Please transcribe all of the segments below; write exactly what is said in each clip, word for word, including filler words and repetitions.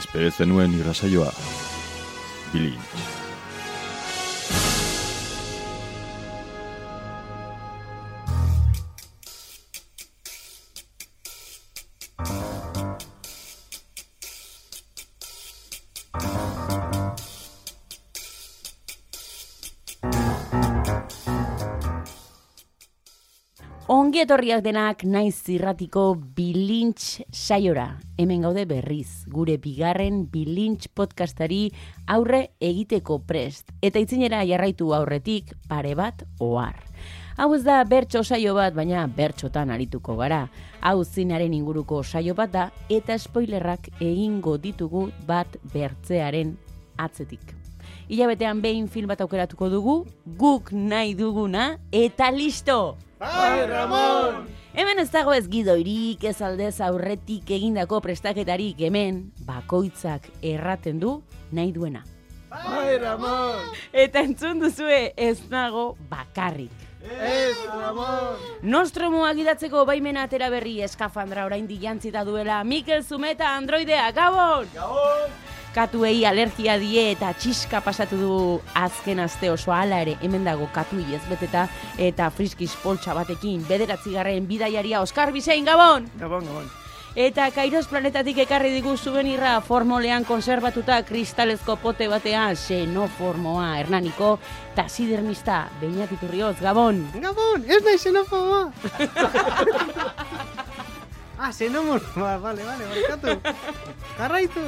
Espero zenuen irrasaioa. Bilintz. Ongi etorriak denak naiz zirratiko Bilintz saiora. Hemen gaude berriz, gure bigarren Bilintz podcastari aurre egiteko prest. Eta itzinera jarraitu aurretik pare bat ohar. Hau ez da bertso saio bat, baina bertxotan arituko gara. Hau zinaren inguruko saio bat da, eta spoilerrak egingo ditugu bat bertzearen atzetik. Hilabetean behin film bat aukeratuko dugu, guk nahi duguna, eta listo! Bai, Ramon! Hemen ez dago ez gidoirik, ez aldez aurretik egindako prestaketarik, hemen bakoitzak erraten du nahi duena. Bai, Ramon! Eta entzun duzue ez nago bakarrik. Ez, Ramon! Nostromoak idatzeko baimena atera berri eskafandra oraindik jantzita duela Mikel Zumeta androidea, Gabon! Gabon! Katuei alergia die eta txiska pasatu du azken aste oso, hala ere hemen dago katuei ez beteta eta friskiz poltsa batekin bederatzigarren bidaiaria Oskar Bizein, Gabon! Gabon, Gabon. Eta Kairos planetatik ekarri digu souvenirra formolean konservatuta kristalezko pote batean xenoformoa Hernaniko taxidermista Beñat Iturrioz, Gabon! Gabon, ez nahi xenofoboa! Ah, xenomorfoa, vale, vale, barkatu. Jarraitu!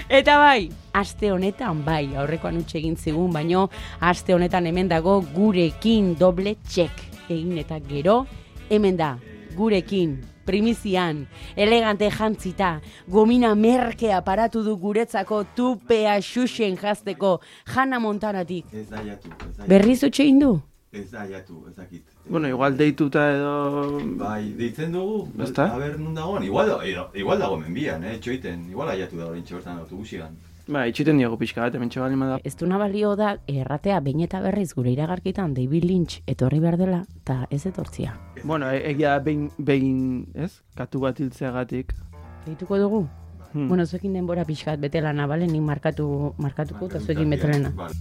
Eta bai, aste honetan bai, aurrekoan utxe egin zigun, baino aste honetan hemen dago gurekin doble txek egin eta gero, hemen da, gurekin, primizian, elegante jantzita, gomina merke aparatu du guretzako tupea xuxen jazteko Hannah Montanatik. Ez da jatu, ez da jatu. Berriz utxe egin du? Ez da jatu, ez dakit. Bueno, igual deituta edo... Bai, deitzen dugu, Basta? a ber, nun dagoen, igual, edo, igual dago menbian, eh, txoiten, igual aiatu da horintxe bertan autobusigan. Ba, itxiten diago pixka bat, hemen txabali da. Ez du nabalio da erratea behin eta berriz gure iragarkitan David Lynch etorri behar dela, eta ez etortzia. Bueno, e- egia behin, behin, ez? Katu bat hiltzeagatik. Egituko dugu? Hmm. Bueno, zuekin denbora pixkat betela nabalen, nik markatu, markatuko eta zuekin betelena. Vale.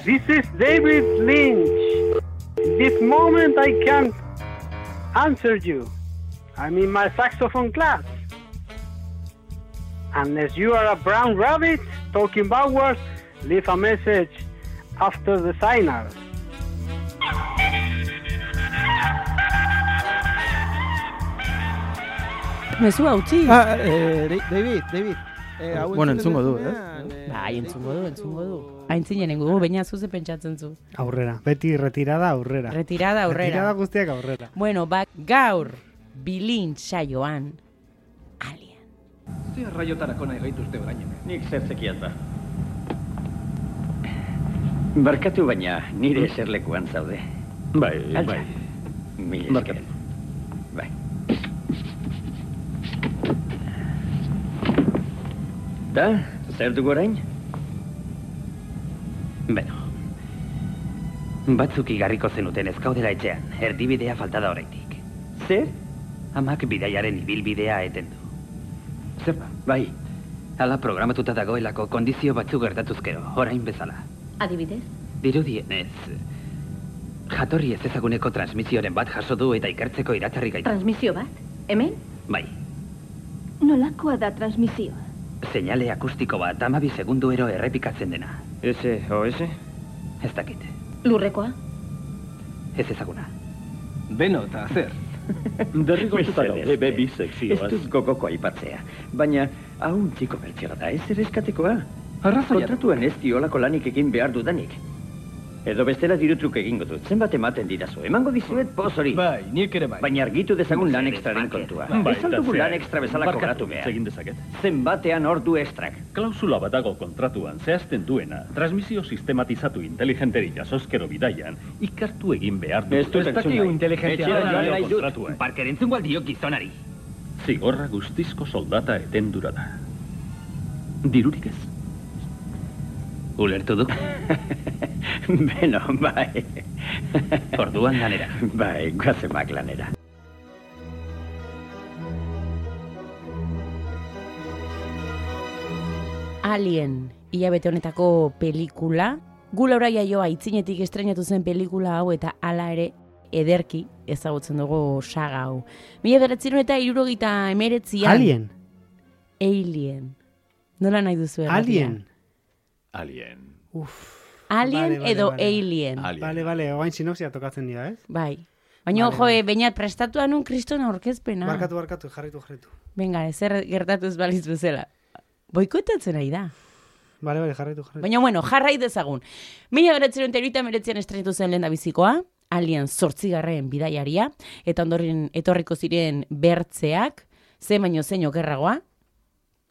This is David Lynch. In this moment I can't answer you. I'm in my saxophone class. Unless you are a brown rabbit talking backwards, leave a message after the signal. Mezu hautzi. Ah, eh, David, David. Eh, hau Bueno, entzuten entzungo du, duzunean, eh? eh? Bai, entzungo du, entzungo du. Aintzinen gu, baina zuze pentsatzen zu. Aurrera, beti retirada aurrera. Retirada aurrera. Retirada guztiak aurrera. Bueno, bak, gaur, Bilintz saioan, Alien. Ze arraiotarako nahi gaituzte orain. Nik zer zekiat ba. Barkatu baina nire eserlekuan zaude. Bai, Altza. bai. Mil esker. Barkatu. Bai. Da, zer dugu orain? Beno. Batzuk igarriko zenuten ez gaudela etxean, erdibidea falta da oraindik. Zer? Amak bidaiaren ibilbidea eten du. Zer ba? Bai. Hala programatuta dagoelako kondizio batzuk gertatuzkero, orain bezala. Adibidez? Dirudienez, jatorri ez ezaguneko transmisioren bat jaso du eta ikertzeko iratzarri gaitu. Transmisio bat? Hemen? Bai, Nolakoa da transmisioa? seinale akustiko bat hamabi segunduero errepikatzen dena. S O S? Ez dakit, Lurrekoa? ez ezaguna. Beno, eta zer? Derrigortuta gaude, be bi sekzioaz. Ez dut gogoko aipatzea, baina haun txiko bertsioa da, ez ere eskatekoa. Arrazoia. Kontratuan ez diolako lanik egin behar dudanik. Edo bestela dirutruk egingo dut, zenbat ematen dirazu, emango dizuet poz hori. Bai, nik ere bai. Baina argitu dezagun lan ekstraren kontua. Bai, Ez aldugu lan ekstra bezala barkatu, kobratu behar. egin dezaket. Zenbatean ordu ekstrak. Klausula bat dago kontratuan zehazten duena, transmisio sistematizatu inteligenteri jasozkero bidaian, ikartu egin behar du. Ez dut entzun nahi. Etxera Etxera joan dio nahi dut. kontratua. Parker entzungo aldio gizonari. Zigorra guztizko soldata etendura da. Dirurik ez. Ulertu du? Beno, bai. Orduan lanera. Bai, guazemak lanera. Alien, hilabete honetako pelikula. Gu Laura Jaioa aitzinetik estreinatu zen pelikula hau eta hala ere ederki ezagutzen dugu saga hau. Mila bederatziehun eta hirurogeita hemeretzian. Alien. Alien. Nola nahi duzu erratia? Alien. Alien. Uf. Alien Vale, vale, edo vale. Alien. Alien. Bale, bale, oain sinopsia tokatzen dira, ez? Bai. Baina, Vale, jo, vale. bainat prestatu anun kristona aurkezpena. Barkatu, barkatu, jarritu, jarritu. Venga, ezer gertatu ez baliz bezala. Boikotatzen nahi da. Bale, bale, jarritu, jarritu. Baina, bueno, jarrai dezagun. Mila beratzen eta hirurogeita hemeretzian estrenatu zen lehen da bizikoa, Alien zortzigarren bidaiaria, eta ondoren etorriko ziren bertzeak, ze baino zein okerragoa,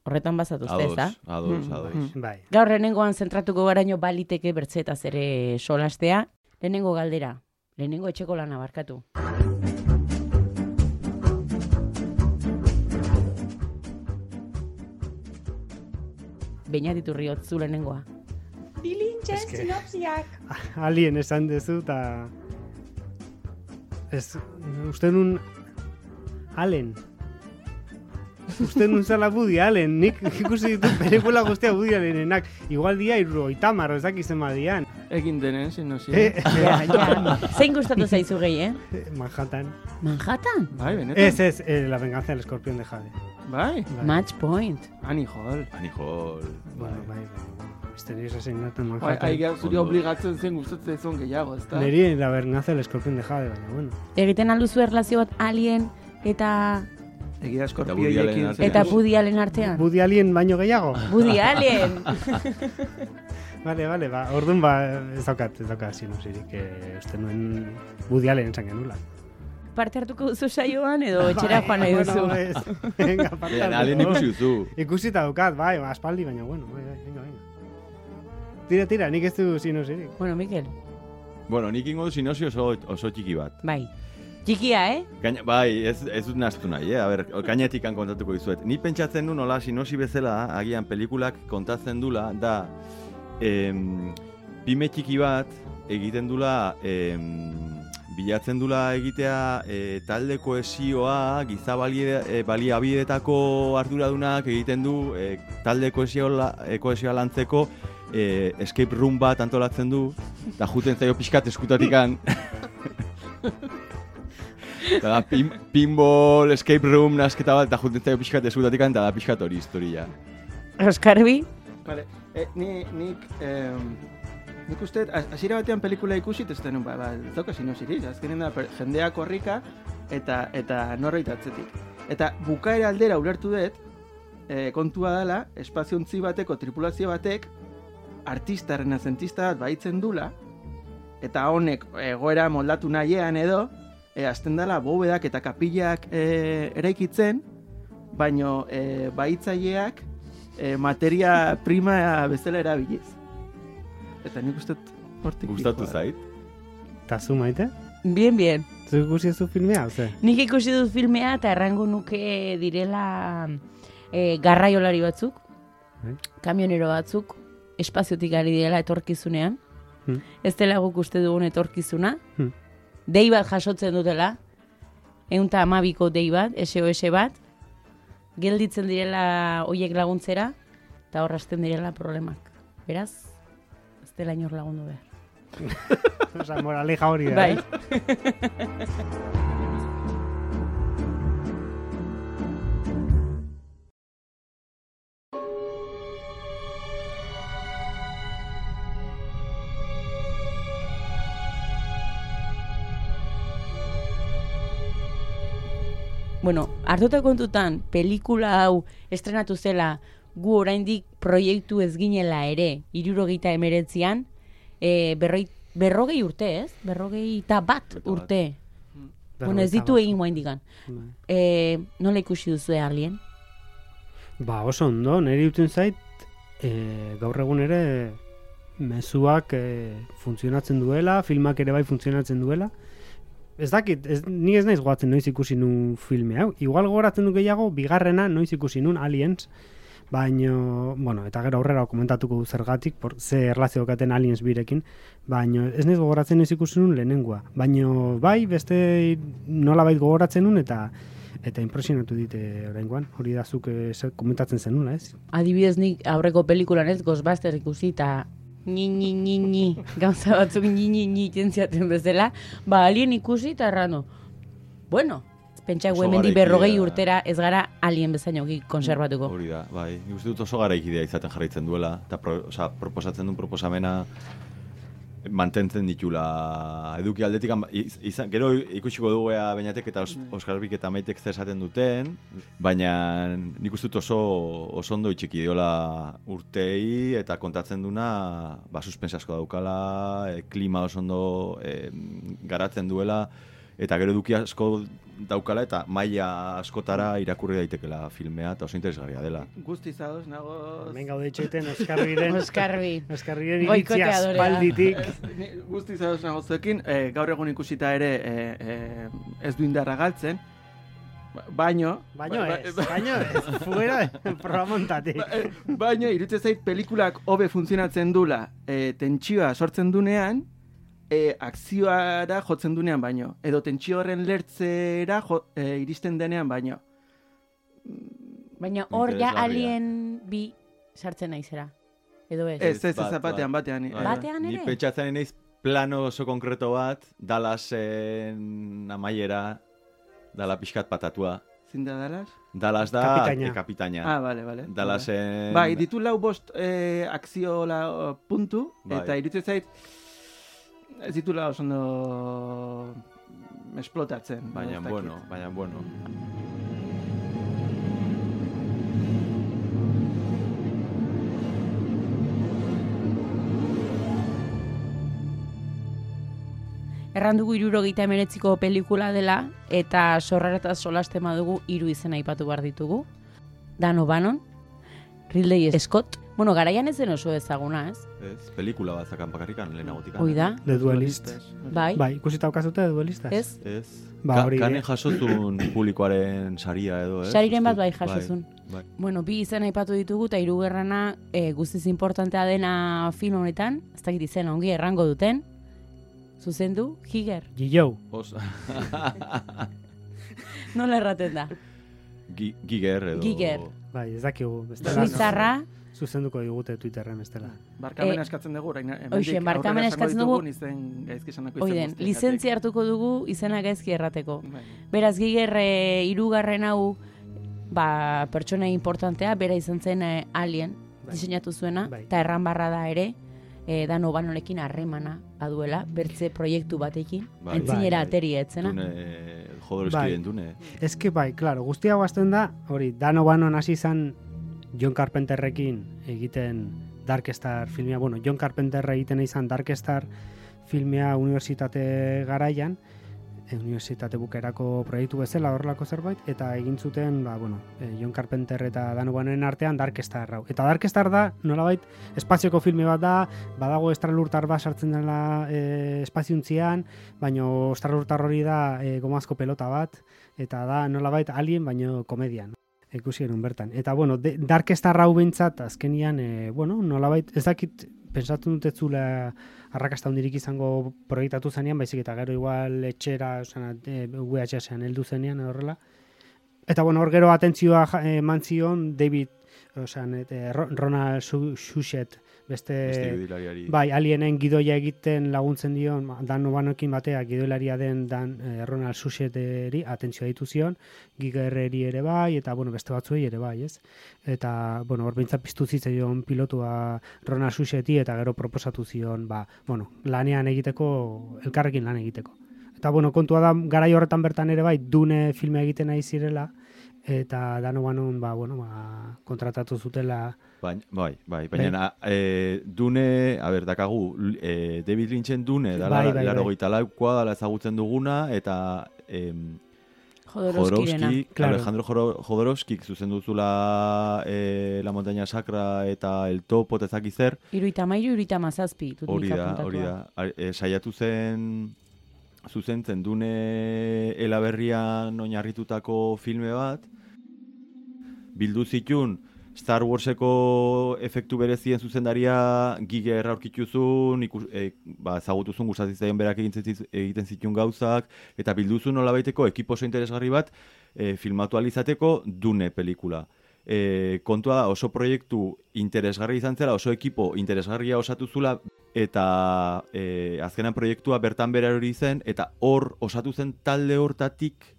horretan bazatuz, ez da? Ados, ados, ados. Bai. Gaur lehenengoan zentratuko garaino baliteke bertzetaz ere solastea, lehenengo galdera, lehenengo etxeko lana barkatu. Beñat Iturriot, zu lehenengoa. Bilintxen Eske- sinopsiak. Alien esan dezu, eta... Ez, uste nun... Allen. Uste nun zala Woody Allen. Nik ikusi ditut pelikula guztia Woody Allenenak. Igual dia irrogeita hamar, ez dakiz ema dian. Egin denen, sinopsia. Eh, Ja, ja. Zein gustatu zaizu gehi, eh? Manhattan. Manhattan? Bai, benetan. Ez, ez, eh, La venganza del escorpión de Jade. Bai. Bai. Match point. Ani Hall. Ani Hall. Bueno, bai, bai. Misterios asesinato en Bai, Manhattan. ai, zuri Ondo. obligatzen zen gustatzen zuen gehiago, ezta? Neri La venganza del escorpión de Jade, baina, bueno. Egiten alduzu erlazio bat Alien eta Egia Woody eskorpioiekin. Allen eta Woody Allen artean. Woody Allen baino gehiago? Woody Allen! Vale, vale, ba, orduan ba, ez daukat, ez daukat sinopsirik, eh, uste nuen Woody Allen esan genula. Parte hartuko duzu saioan edo etxera joan nahi duzu? Bueno, ez, venga, parte Bien, hartuko. Alien ikusi duzu. Ikusita daukat, bai, aspaldi, baina, bueno, bai, bai, venga, venga. Tira, tira, nik ez du sinopsirik. Bueno, Mikel, Bueno, nik ingo du sinopsi oso, oso txiki bat. bai. Txikia, eh? Gaina, bai, ez, ez dut naztu nahi, eh? A ber, gainetik kontatuko dizuet. Ni pentsatzen du nola sinosi bezala, agian pelikulak kontatzen dula, da, em, pime txiki bat egiten dula, em, bilatzen dula egitea e, talde kohesioa, giza balie, e, baliabideetako arduradunak egiten du e, talde kohesioa, e, kohesioa lantzeko e, escape room bat antolatzen du, eta juten zaio pixkat eskutatikan. Eta da, pin, pinball, escape room, nasketa bat, eta juten zaio pixkat eskutatik, eta da pixkat hori historia. Oskarbi? Vale, eh, ni, nik, eh, nik uste, hasiera batean pelikula ikusi, ez denun, ba, ba, ez dauka sinopsirik, azkenen da, per- jendea korrika, eta, eta norbait atzetik. Eta bukaera aldera ulertu dut, eh, kontua dela, espaziontzi bateko tripulazio batek, artista, renazentista bat baitzen dula, eta honek egoera moldatu nahiean edo, e, azten dela bobedak eta kapillak e, eraikitzen, baino e, baitzaileak e, materia prima bezala erabiliz. Eta nik uste hortik. Gustatu dijoa. zait? Ta zu maite? Bien, bien. Zu ikusi zu filmea, oze? Nik ikusi dut filmea eta errango nuke direla e, garraiolari batzuk, Bai. kamionero batzuk, espaziotik ari direla etorkizunean. Hmm. Ez dela guk uste dugun etorkizuna. Hmm. Dei bat jasotzen dutela, eunta amabiko dei bat, S O S bat, gelditzen direla hoiek laguntzera, eta horrazten direla problemak. Beraz, ez dela inor lagundu behar. Osa, moraleja hori da. Bai. eh? Bueno, hartuta kontutan, pelikula hau estrenatu zela gu oraindik proiektu ez ginela ere, hirurogeita hemeretzian, e, berroi, berrogei urte, ez? Berrogei eta bat urte. Bueno, ez ditu egin guain digan. E, nola ikusi duzu Alien? Ba, oso ondo, niri duten zait, e, gaur egun ere mezuak e, funtzionatzen duela, filmak ere bai funtzionatzen duela. Ez dakit, ez, ni ez naiz goatzen noiz ikusi nun filme hau. Igual gogoratzen du gehiago, bigarrena noiz ikusi nun, Aliens, baino, bueno, eta gero aurrera komentatuko du zergatik, por, ze erlazio katen Aliens birekin, baino ez naiz gogoratzen ez ikusi nun lehenengoa, baino bai, beste nolabait gogoratzen nun eta eta impresionatu dite oraingoan, hori da zuk eh, komentatzen zenuna, ez? Adibidez nik aurreko pelikulan ez Ghostbusters ikusi eta ni ni ni ni gauza batzuk ni ni ni tentziaten bezala, ba Alien ikusi eta errano. Bueno, pentsa Oso hemendik garaikidea. berrogei urtera ez gara Alien bezainoki konserbatuko. Hori da, bai. Nik uste dut oso garaikidea izaten jarraitzen duela, eta pro, oza, proposatzen duen proposamena mantentzen ditula eduki aldetik, izan, gero ikusiko dugu ea Beñatek eta Os, Oskarbik eta Maitek zer esaten duten, baina nik uste dut oso, oso ondo itxiki diola urtei eta kontatzen duna ba, suspense asko daukala, e, klima oso ondo e, garatzen duela, eta gero eduki asko daukala eta maila askotara irakurri daitekela filmea eta oso interesgarria dela. Guztiz ados, nago... Hemen gaude itxoiten Oskarbiren... Oskarbi. Oskarbiren iritzia espalditik. Guztiz ados nago zuekin, eh, gaur egun ikusita ere eh, eh, ez du indarra galtzen, baino... Baino ez, baino ez, fuera programontatik. Baino, iruditzen zait pelikulak hobe funtzionatzen dula, eh, tentsioa sortzen dunean, E, akzioara jotzen dunean baino, edo tentsio horren lertzera jo, e, iristen denean baino. Baina hor ja Alien bi sartzen naizera, edo ez? Ez, ez, ez, batean, batean. Batean ere? Ni pentsatzen naiz plano oso konkreto bat, Dallasen amaiera, dala pixkat patatua. Zin da Dallas? Dallas da Kapitaina. e, kapitaina. Ah, bale, bale. Dallasen... Bai, ditu lau bost e, akzio la, puntu, bai. Eta iruditzen zait, ez ditula oso ondo esplotatzen. Baina, bueno, baina, bueno. Erran dugu hirurogeita hemeretziko pelikula dela, eta sorraretaz solastema dugu hiru izena aipatu behar ditugu. Dan O'Bannon, Ridley Scott, bueno, garaian ez den oso ezaguna, ez? Ez, pelikula bat zakan bakarrikan, lehenagotikan. Hoi da. The Duelist. Bai. Bai, ikusita aukazute The Duelistas? Ez? Ez. Ba, Ka, hori, kanen eh? jasotun publikoaren saria edo, ez? Sariren bat bai Uste dut, jasozun. Bai, Bueno, bi izen aipatu ditugu, eta hirugarrena e, guztiz importantea dena film honetan, ez dakit izena ongi errango duten, zuzendu, Giger. Gillo. Os... Nola erraten da? Gi, giger edo... Giger. Bai, ez dakigu. bestela Suitzarra, zuzenduko digute Twitterren bestela. Barkamena Eh, eskatzen dugu, orain, hemendik Hoxe, barkamena aurrera eskatzen esango dugu. ditugun izen gaizki esanako izen oiden, guztiengatik. lizentzia hartuko dugu izena gaizki errateko. Bai. Beraz, Giger e, hirugarren hau, ba, pertsona importantea, bera izan zen e, Alien, Bai. diseinatu zuena, Bai. eta erran barra da ere, e, Dan O'Bannonekin harremana baduela, bertze proiektu batekin, Bai. antzinera Bai, bai. ateri etzena. Dune, Jodorowskyren Bai. dune. Ez que bai, claro, guztia guazten da, hori, Dan O'Bannon hasi izan John Carpenterrekin egiten Dark Star filmea, bueno, John Carpenter egiten izan Dark Star filmea unibertsitate garaian, e, unibertsitate bukerako proiektu bezala horrelako zerbait, eta egin zuten, ba, bueno, e, John Carpenter eta Dan O'Bannonen artean Dark Star hau. Eta Dark Star da, nolabait, espazioko filme bat da, badago estralurtar bat sartzen dela e, espaziuntzian, baino estralurtar hori da e, gomazko pelota bat, eta da nolabait Alien, baino komedian. Ikusi genuen bertan. Eta, bueno, de, Dark Star hau behintzat, azkenian, e, bueno, nolabait, ez dakit, pensatu dut ez zula arrakasta hundirik izango proiektatu zenean, baizik eta gero igual etxera, osan, e, U H S-ean heldu zenean, horrela. Eta, bueno, hor gero atentzioa eman zion David, osan, e, Ronald Shusett, beste, Beste gidilariari. bai, Alienen gidoia egiten laguntzen dion, Dan O'Bannonekin batea gidoilaria den Dan eh, Ronald Sushetteri atentzioa ditu zion, Gigerreri ere bai, eta, bueno, beste batzuei ere bai, ez? Eta, bueno, hor behintzat piztu zitzaion pilotua Ronald Sushetti, eta gero proposatu zion, ba, bueno, lanean egiteko, elkarrekin lan egiteko. Eta, bueno, kontua da, garai horretan bertan ere bai, Dune filme egiten nahi zirela, eta Dan O'Bannon, ba, bueno, ba, kontratatu zutela. Baina, bai, bai, baina e, Dune, a ber, dakagu, e, David Lynchen Dune, dala, Bai, bai, laro bai. goita laukoa, dala ezagutzen duguna, eta em, Jodorowskirena. Jodorowsky, Claro. Alejandro Joro- Jodorowskyk zuzen duzula e, La Montaña Sacra eta El Topo eta ezaki zer, Iruita mairu, iruita mazazpi. dut hori nik da, apuntatua. hori da. Ar- E, saiatu zen zuzentzen Dune elaberrian oinarritutako filme bat, bildu zitun Star Warseko efektu berezien zuzendaria Giger aurkituzun, ikus, e, ba, ezagutuzun gustatzen berak egiten, egiten zituen gauzak, eta bilduzun nolabaiteko ekipo oso interesgarri bat e, filmatu alizateko Dune pelikula. E, kontua da oso proiektu interesgarri izan zela, oso ekipo interesgarria osatu zula, eta e, azkenan proiektua bertan bera hori zen, eta hor osatu zen talde hortatik,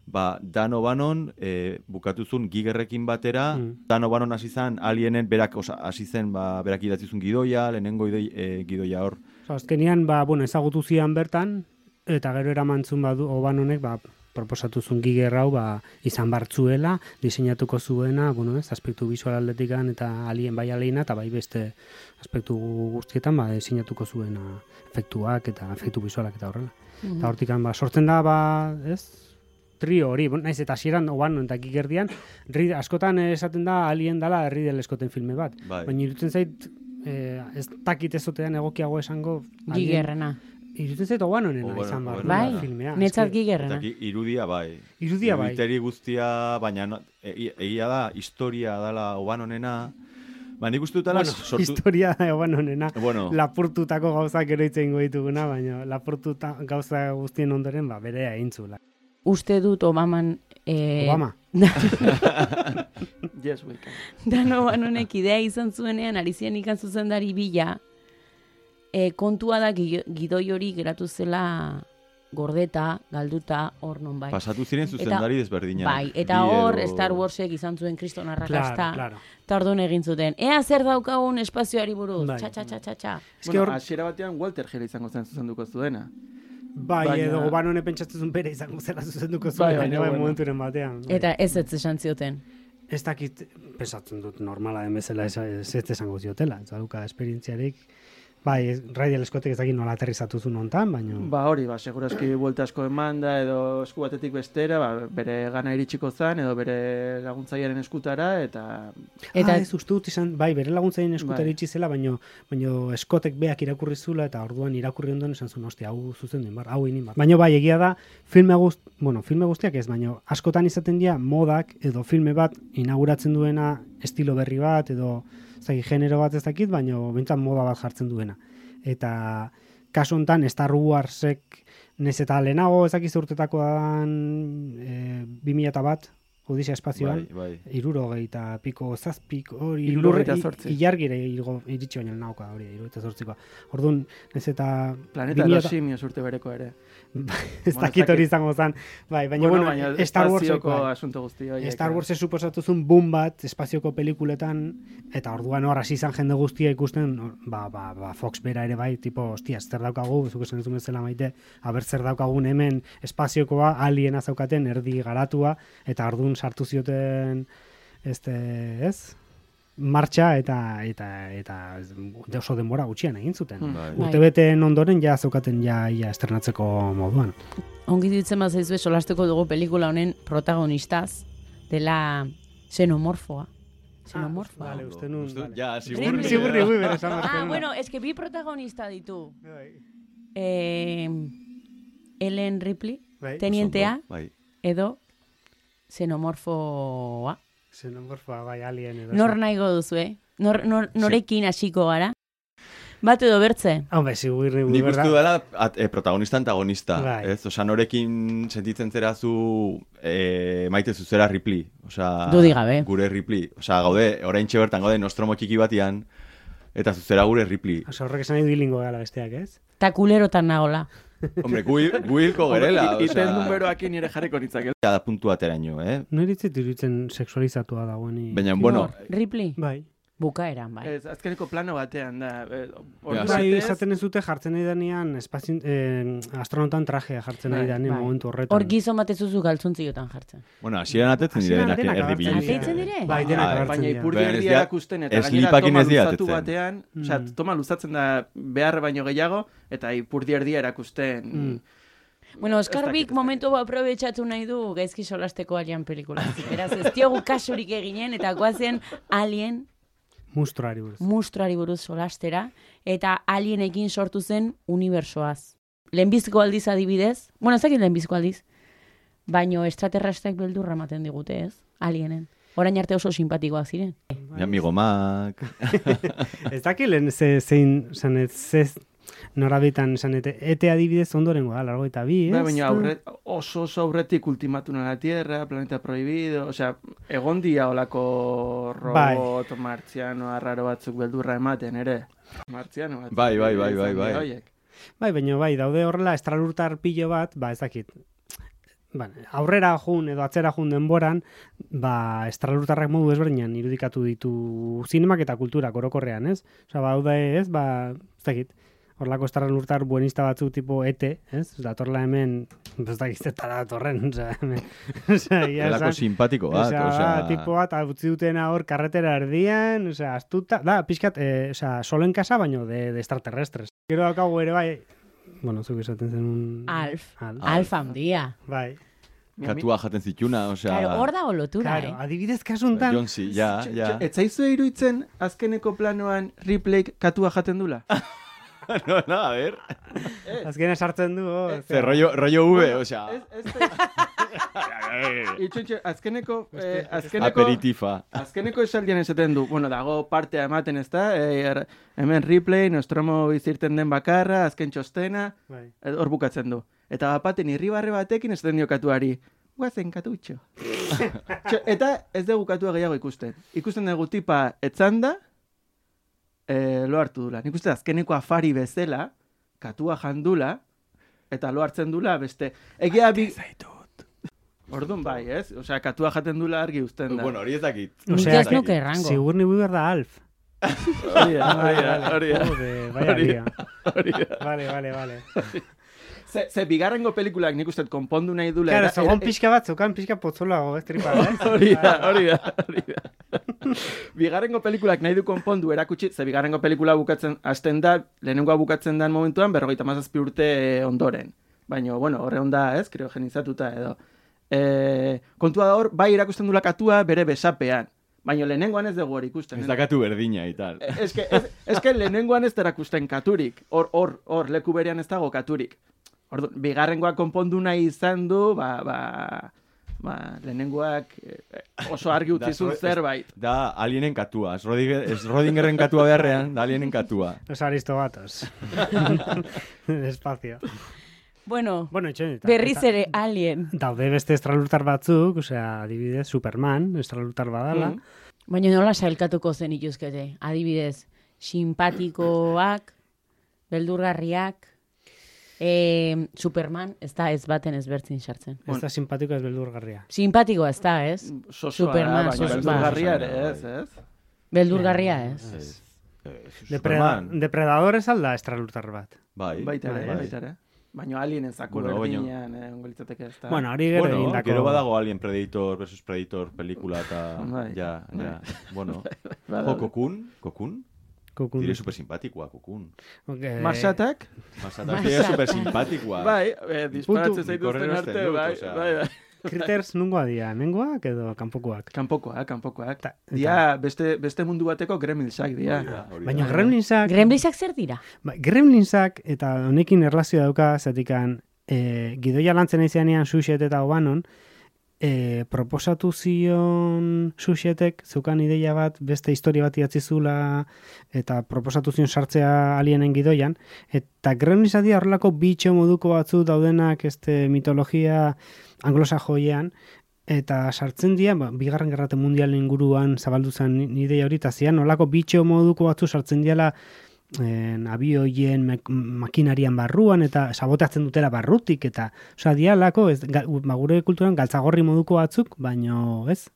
ba, Dan O'Bannon e, bukatuzun Gigerrekin batera, mm. Dan O'Bannon hasi zen, alienen berak osa, hasi zen, ba, berak idatzizun gidoia, lehenengo idoi, e, gidoia hor. So, azkenian, ba, bueno, ezagutu zian bertan, eta gero eramantzun badu O'Bannonek, ba, proposatuzun Giger hau, ba, izan bartzuela, diseinatuko zuena, bueno, ez, aspektu visual aldetikan, eta alien bai aliena, eta bai beste aspektu guztietan, ba, diseinatuko zuena efektuak, eta efektu visualak, eta horrela. Mm-hmm. Eta hortikan, ba, sortzen da, ba, ez, trio hori, naiz eta hasieran O'Bannon eta Gigerdian, askotan esaten da alien dala Ridley Scotten filme bat. Bai. Baina irutzen zait, eh, ez dakit ezotean egokiago esango... Gigerrena. Irutzen zait O'Bannonena izan bar. Bai, filmea. netzat Gigerrena. Irudia bai. Irudia bai. Iruditeri guztia, baina no, e, egia da, historia dala O'Bannonena. Ba, nik uste dutela... Bueno, sortu... historia da O'Bannonena. Bueno. Lapurtutako gauzak ero itzen goituguna, baina lapurtuta gauza guztien ondoren, ba, berea eintzula. Uste dut Obaman... Eh, Obama. Yes, we can. Dan O'Bannonek idea izan zuenean, ari zian ikan zuzendari bila, eh, kontua da gidoi hori geratu zela gordeta, galduta, hor non bai. Pasatu ziren zuzendari desberdinak. Bai, eta hor Star Warsek izan zuen kriston arrakasta. Claro, claro. Eta orduan egin zuten. Ea zer daukagun espazioari buruz. Bai. Txa, txa, txa, txa, txa. Bueno, or... hasiera batean Walter Hill izango zen zuzenduko zuena. Bai, Baina... edo O'Bannone pentsatzen zuen bere izango zela zuzenduko zuen, Bai, baina bai, bueno. momenturen batean. Bai. Eta ez ez esan zioten. Ez dakit, pensatzen dut normala den bezala ez ez esango ziotela, ez dauka esperientziarik. Bai, Ridley Scottek ez dakit nola aterrizatu zuen hontan, baina... Ba hori, ba, segurazki buelta asko eman da, edo esku batetik bestera, ba, bere gana iritsiko zan, edo bere laguntzailearen eskutara, eta... Eta ah, ez uste dut izan, bai, bere laguntzailearen eskutara bai. iritsi zela, baina baino Scottek beak irakurri zula, eta orduan irakurri ondoen esan zuen, hostia, hau zuzendu inbar, hau inin bar. Baina bai, egia da, filme guzti, bueno, filme guztiak ez, baina askotan izaten dira modak, edo filme bat inauguratzen duena estilo berri bat, edo... Zagi, genero bat ez dakit, baina bintzat moda bat jartzen duena. Eta kasu honetan Star Warsek nez eta lehenago ezakiz urtetako dan e, bi mila bat, Odisea espazioan, bai, bai. irurogei eta piko zazpik, hori Hirurogeita zortzi. ilargire iritsi baino nauka hori, irurogeita zortzikoa. Orduan, nez eta... Planeta de los simios urte bereko ere. Ez dakit hori izango zen. Bai, baina, bueno, baina Star Warseko bai. asunto guzti horiek. Star Warsek suposatu zuen boom bat espazioko pelikuletan, eta orduan hor hasi izan jende guztia ikusten, ba, ba, ba, Fox bera ere bai, tipo, hostia, zer daukagu, zuk esan duzun bezala maite, aber zer daukagun hemen espaziokoa, aliena zaukaten, erdi garatua, eta orduan sartu zioten, este, ez? Martxa eta eta eta oso denbora gutxian egin zuten. Bai. Urtebeteen ondoren ja zaukaten ja ia estrenatzeko moduan. Ongi ditzen bazaizue solasteko dugu pelikula honen protagonistaz dela xenomorfoa. Xenomorfoa. Vale, uste nun. Ja, Ripley. sigurri. Sigurri hui bere esan Ah, bartzen. bueno, es que bi protagonista ditu. Eh, Ellen Ripley, Bai. tenientea, Bai. edo xenomorfoa. Xenomorfoa, bai, alien edo. Nor nahigo duzu, eh? Nor, nor, norekin hasiko gara? Bat edo bertze? Hombre, sigurri hui, Nik uste berda? dela at, e, protagonista antagonista, Bai. ez? Osa, norekin sentitzen zera zu e, maite zuzera Ripley. Osa, Dudi gabe. Gure Ripley. Osa, gaude, oraintxe bertan gaude Nostromo txiki batian, eta zuzera gure Ripley. Osa, horrek esan nahi bilingo gala besteak, ez? Ta kulerotan nagola. Hombre, gu, gu hilko gerela. Iten numeroakin nire jarriko nitzak. Da puntu ateraino, eh? Nire itzit iruditzen sexualizatua dagoen. Baina, bueno... Ripley? Bai. Bukaeran, bai. Ez, azkeneko plano batean da. Eh, bai, esaten ez dute jartzen nahi danean, espazin, eh, astronautan trajea jartzen nahi danean momentu horretan. Hor gizon batezuzu galtzuntziotan jartzen. Bueno, hasieran atetzen dire denak erdi Atetzen dire? Bai, denak baina ipurdi erdia erakusten, eta ez gainera lipakin toma ez dira luzatu atetzen. batean, osea, toma luzatzen da behar baino gehiago, eta ipurdi erdia erakusten... Mm. Bueno, Oscar Bik momentu aprobetxatu nahi du gaizki solasteko Alien pelikula. Beraz, ez diogu kasurik eginen, eta guazen Alien Mustruari buruz. Mustruari buruz solastera, eta alienekin sortu zen unibersoaz. Lehenbizko aldiz adibidez, bueno, ez dakit lehenbizko aldiz, baino extraterrestrak beldurra ematen digute, ez? Alienen. Orain arte oso simpatikoak ziren. Mi amigo Mac. Ez dakilen ze, zein, zan ez, ze norabitan, zan ete, ete adibidez ondorengoa, largo eta bi, ez? Ba, baina aurret, oso oso aurretik Ultimátum a la Tierra, Planeta Prohibido, osea, egon dia olako robot, bai. Martziano, arraro batzuk beldurra ematen, ere. Martziano batzuk. Bai, bai, bai, bai, bai. Oiek. Bai, baina bai, daude horrela estralurtar pilo bat, ba, ez dakit, ba, aurrera jun edo atzera jun denboran, ba, estralurtarrak modu ezberdinan irudikatu ditu zinemak eta kulturak orokorrean, ez? Osa, ba, daude, ez, ba, ez dakit, horlako estralurtar buenista batzuk tipo ete, ez? Datorla hemen, ez dakit, eta datorren, oza, hemen, oza, ia Elako simpatiko bat, oza, oza... tipo bat, utzi dutena hor karretera erdian, oza, astuta, da, pixkat, eh, oza, solen kasa, baino de, de extraterrestres. Gero daukagu ere, bai, bueno, zuk esaten zen un... Alf. Alf. Alf handia. Bai. Katua jaten zituna, osea... Claro, hor da olotura, Claro, eh? adibidez kasuntan... Jonsi, ja, ja. Ez zaizu iruditzen azkeneko planoan Ripleyk katua jaten dula? No, no, a ver. Azkena sartzen du, oh, Ze rollo, rollo V, osea... Itxuntxe, azkeneko... Eh, azkeneko Aperitifa. Azkeneko esaldian esaten du, bueno, dago partea ematen, ez da? Eh, hemen Ripley, Nostromo bizirten den bakarra, azken txostena, bai. hor bukatzen du. Eta bapaten irribarre batekin esaten dio katuari, guazen katutxo. Txo, eta ez dugu katua gehiago ikusten. Ikusten dugu tipa etzanda, eh, lo hartu dula. Nik uste azkeneko afari bezala, katua jandula, eta lo hartzen dula beste. Egia bi... Orduan bai, ez? Osea, katua jaten dula argi uzten da. Bueno, hori ez dakit. Osea, ez nuke errango. Sigur ni behar da Alf. Hori da, hori da, hori da. Joder, vaya lia. Hori da. Vale, vale, vale. Ze, ze bigarrengo pelikulak nik uste konpondu nahi dula. Claro, era- segon era- pixka bat, zeukan pixka potzolago, ez tripa, eh? Hori da, hori da, hori da. Bigarrengo pelikulak nahi du konpondu erakutsi, ze bigarrengo pelikula bukatzen hasten da, lehenengoa bukatzen den momentuan, berrogeita hamazazpi urte ondoren. Baina, bueno, horre onda, ez, kriogenizatuta edo. E, kontua da hor, bai erakusten dula katua bere besapean. Baina lehenengoan ez dugu hori ikusten. Ez da katu berdina y tal. Ez que, ez, ez que lehenengoan ez da erakusten katurik. Hor, hor, hor, leku berean ez dago katurik. Ordu, bigarrengoak konpondu nahi izan du, ba, ba, ba, lehenengoak eh, oso argi utzi zuen zerbait. Da alienen katua. Ez Rodinger- ez Rodingerren katua beharrean, da alienen katua. Los aristogatos. Despacio. Bueno, Bueno, etxen, eta- berriz eta- ere alien. Daude beste estralurtar batzuk, osea, adibidez, Superman, estralurtar badala. Mm. Baina nola sailkatuko zen ituzkete. Adibidez, simpatikoak, beldurgarriak, e, Superman, ez da ez baten ez bertzin sartzen. Ez da simpatiko ez beldurgarria. Simpatikoa ez da, ez? Sosoa da, Superman, baina sosoa. beldurgarria ere ez, ez? Beldurgarria ez. Ez. Eh, Depreda Superman. depredador ez alda estralurtar bat. Bai. Baita ere, bai. baita ere. Baina alienen zako Bueno, baina- berdinean, eh, ongo litzateke ez da. Bueno, hori gero Bueno, egindako... gero badago Alien Predator versus Predator pelikula eta... Bai. Ja, ja. Bueno. Badago. Jo, Kokun, Kokun. Kokun. Dire super simpatikoa, Kokun. Okay. Marsatak? Masata, dire super simpatikoa. Bai, eh, disparatzen Puntu, zaituzten korrero arte, esten dut, bai, osea. bai, bai. Critters nungoa dira, mengoak edo kanpokoak? Kanpokoak, kanpokoak. Ta- eta- Dia, beste, beste mundu bateko gremilsak dia. Hori da, hori da. Baina Gremlinsak... Gremlinsak zer dira? Ba, Gremlinsak eta honekin erlazio dauka, zatikan e, gidoia lantzen aizeanean Suxet eta Obanon, e, proposatu zion Suxetek zeukan ideia bat beste historia bat idatzi zula eta proposatu zion sartzea alienen gidoian, eta Gremlinsak dira horrelako bitxo moduko batzu daudenak este mitologia anglosajoian, eta sartzen dira, ba, bigarren gerrate mundialen inguruan zabaldu zen ideia hori, eta zian nolako bitxo moduko batzu sartzen diala en, abioien mek- makinarian barruan, eta sabotatzen dutela barrutik, eta osea, dialako, ez, ga, ba, gure kulturan galtzagorri moduko batzuk, baino ez,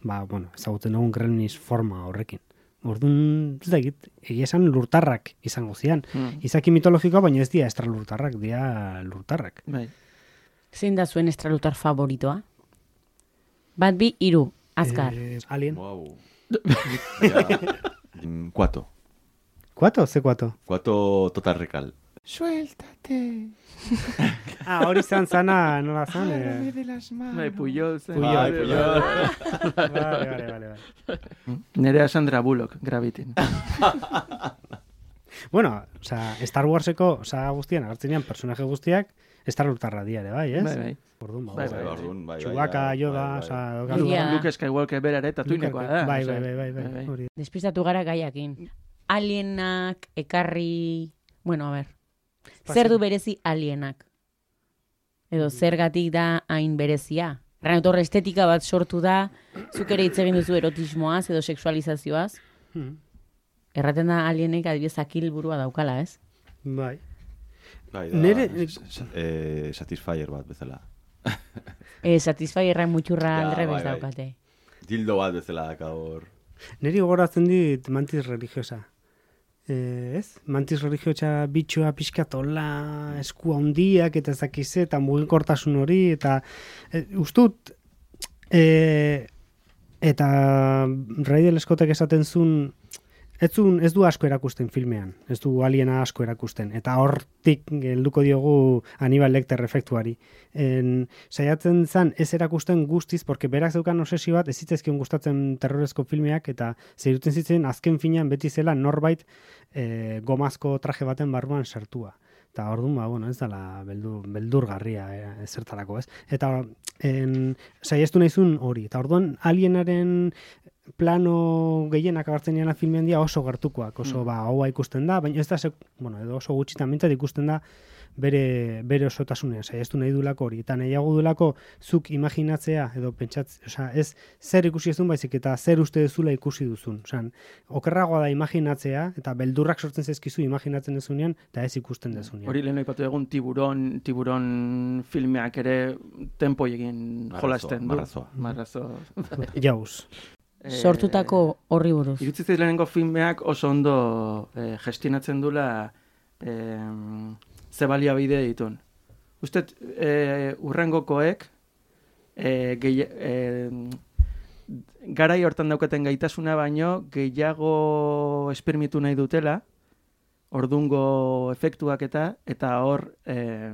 ba, bueno, ezagutzen dugun Gremlins forma horrekin. Orduan, ez da egit, egia esan lurtarrak izango zian. Hmm. Izaki mitologikoa, baina ez dira estralurtarrak, dira lurtarrak. Bai. Zein da zuen estralutar favoritoa? Bat bi, hiru, azkar. Eh, alien. Wow. Ja. Mm, Cuato. Kuato? Ze kuato? Cuato Total Recall. Suéltate. Ah, hori zan zana, nola zan? Eh? de las manos. Bai, Puyol zen. Puyol. Bai, Puyol. Vale, vale, vale, vale. Nerea Sandra Bullock, Gravitin. Bueno, osea, Star Warseko saga guztian agertzenean personaje guztiak Star Lurtarra dira ere, bai, ez? Bai, bai. Orduan, ba, Bai, bai, bai, orduan, bai, bai, Chewbacca, bai, Yoda, bai, osea, bai. daukazu- Ja. Luke Skywalker bera ere tatuinekoa da. Bai, osea, bai, bai, bai, bai, hori. Despistatu gara gaiakin. Alienak ekarri... Bueno, a ber. Pasi. Zer du berezi alienak? Edo zergatik da hain berezia? Erran estetika bat sortu da, zuk ere hitz egin duzu erotismoaz edo sexualizazioaz. Hmm. Erraten da alienek adibidez akil burua daukala, ez? Bai. Bai, da, Nere- eh, Satisfyer bat bezala. E, Satisfyerra muturra Ja, aldrebez bai, bai. daukate. Dildo bat bezala daka hor. Neri gogoratzen dit mantis religiosa. Eh, ez? Mantis religiosa bitxoa pixkatola, esku handiak eta ezakize, eta mugikortasun hori, eta e, ustut, e, eta Ridley Scottek esaten zuen, ez, zun, ez du asko erakusten filmean, ez du aliena asko erakusten, eta hortik helduko diogu Hannibal Lecter efektuari. En, saiatzen zen ez erakusten guztiz, porque berak zeukan obsesio bat, ez zitzezkion gustatzen terrorezko filmeak, eta zeiruten zitzen azken finean beti zela norbait e, gomazko traje baten barruan sartua. Eta orduan, ba, bueno, ez dela beldur, beldurgarria eh, ezertarako, ez? Eta en, saiestu nahizun hori. Eta orduan alienaren plano gehienak agertzen diana filmean dia oso gertukoak, oso Mm. ba, hoa ikusten da, baina ez da, sek, bueno, edo oso gutxitan mintzat ikusten da bere, bere osotasunean, saiestu nahi dulako hori, eta nahiago dulako zuk imaginatzea, edo pentsatzea, osea, ez zer ikusi ez duen baizik, eta zer uste duzula ikusi duzun. Osea, okerragoa da imaginatzea, eta beldurrak sortzen zaizkizu imaginatzen dezunean, eta ez ikusten dezunean. Hori lehen aipatu egun tiburon, tiburon filmeak ere tempo egin Marrazoa, jolasten du. marrazoa. Marrazo. Jauz. Sortutako horri buruz. Irutzi zait lehenengo filmeak oso ondo eh, gestionatzen dula eh, ze baliabide ditun. Ustet, eh, urrengokoek eh, gehi, eh, garai hortan daukaten gaitasuna baino gehiago espermitu nahi dutela, ordungo efektuak eta eta hor eh,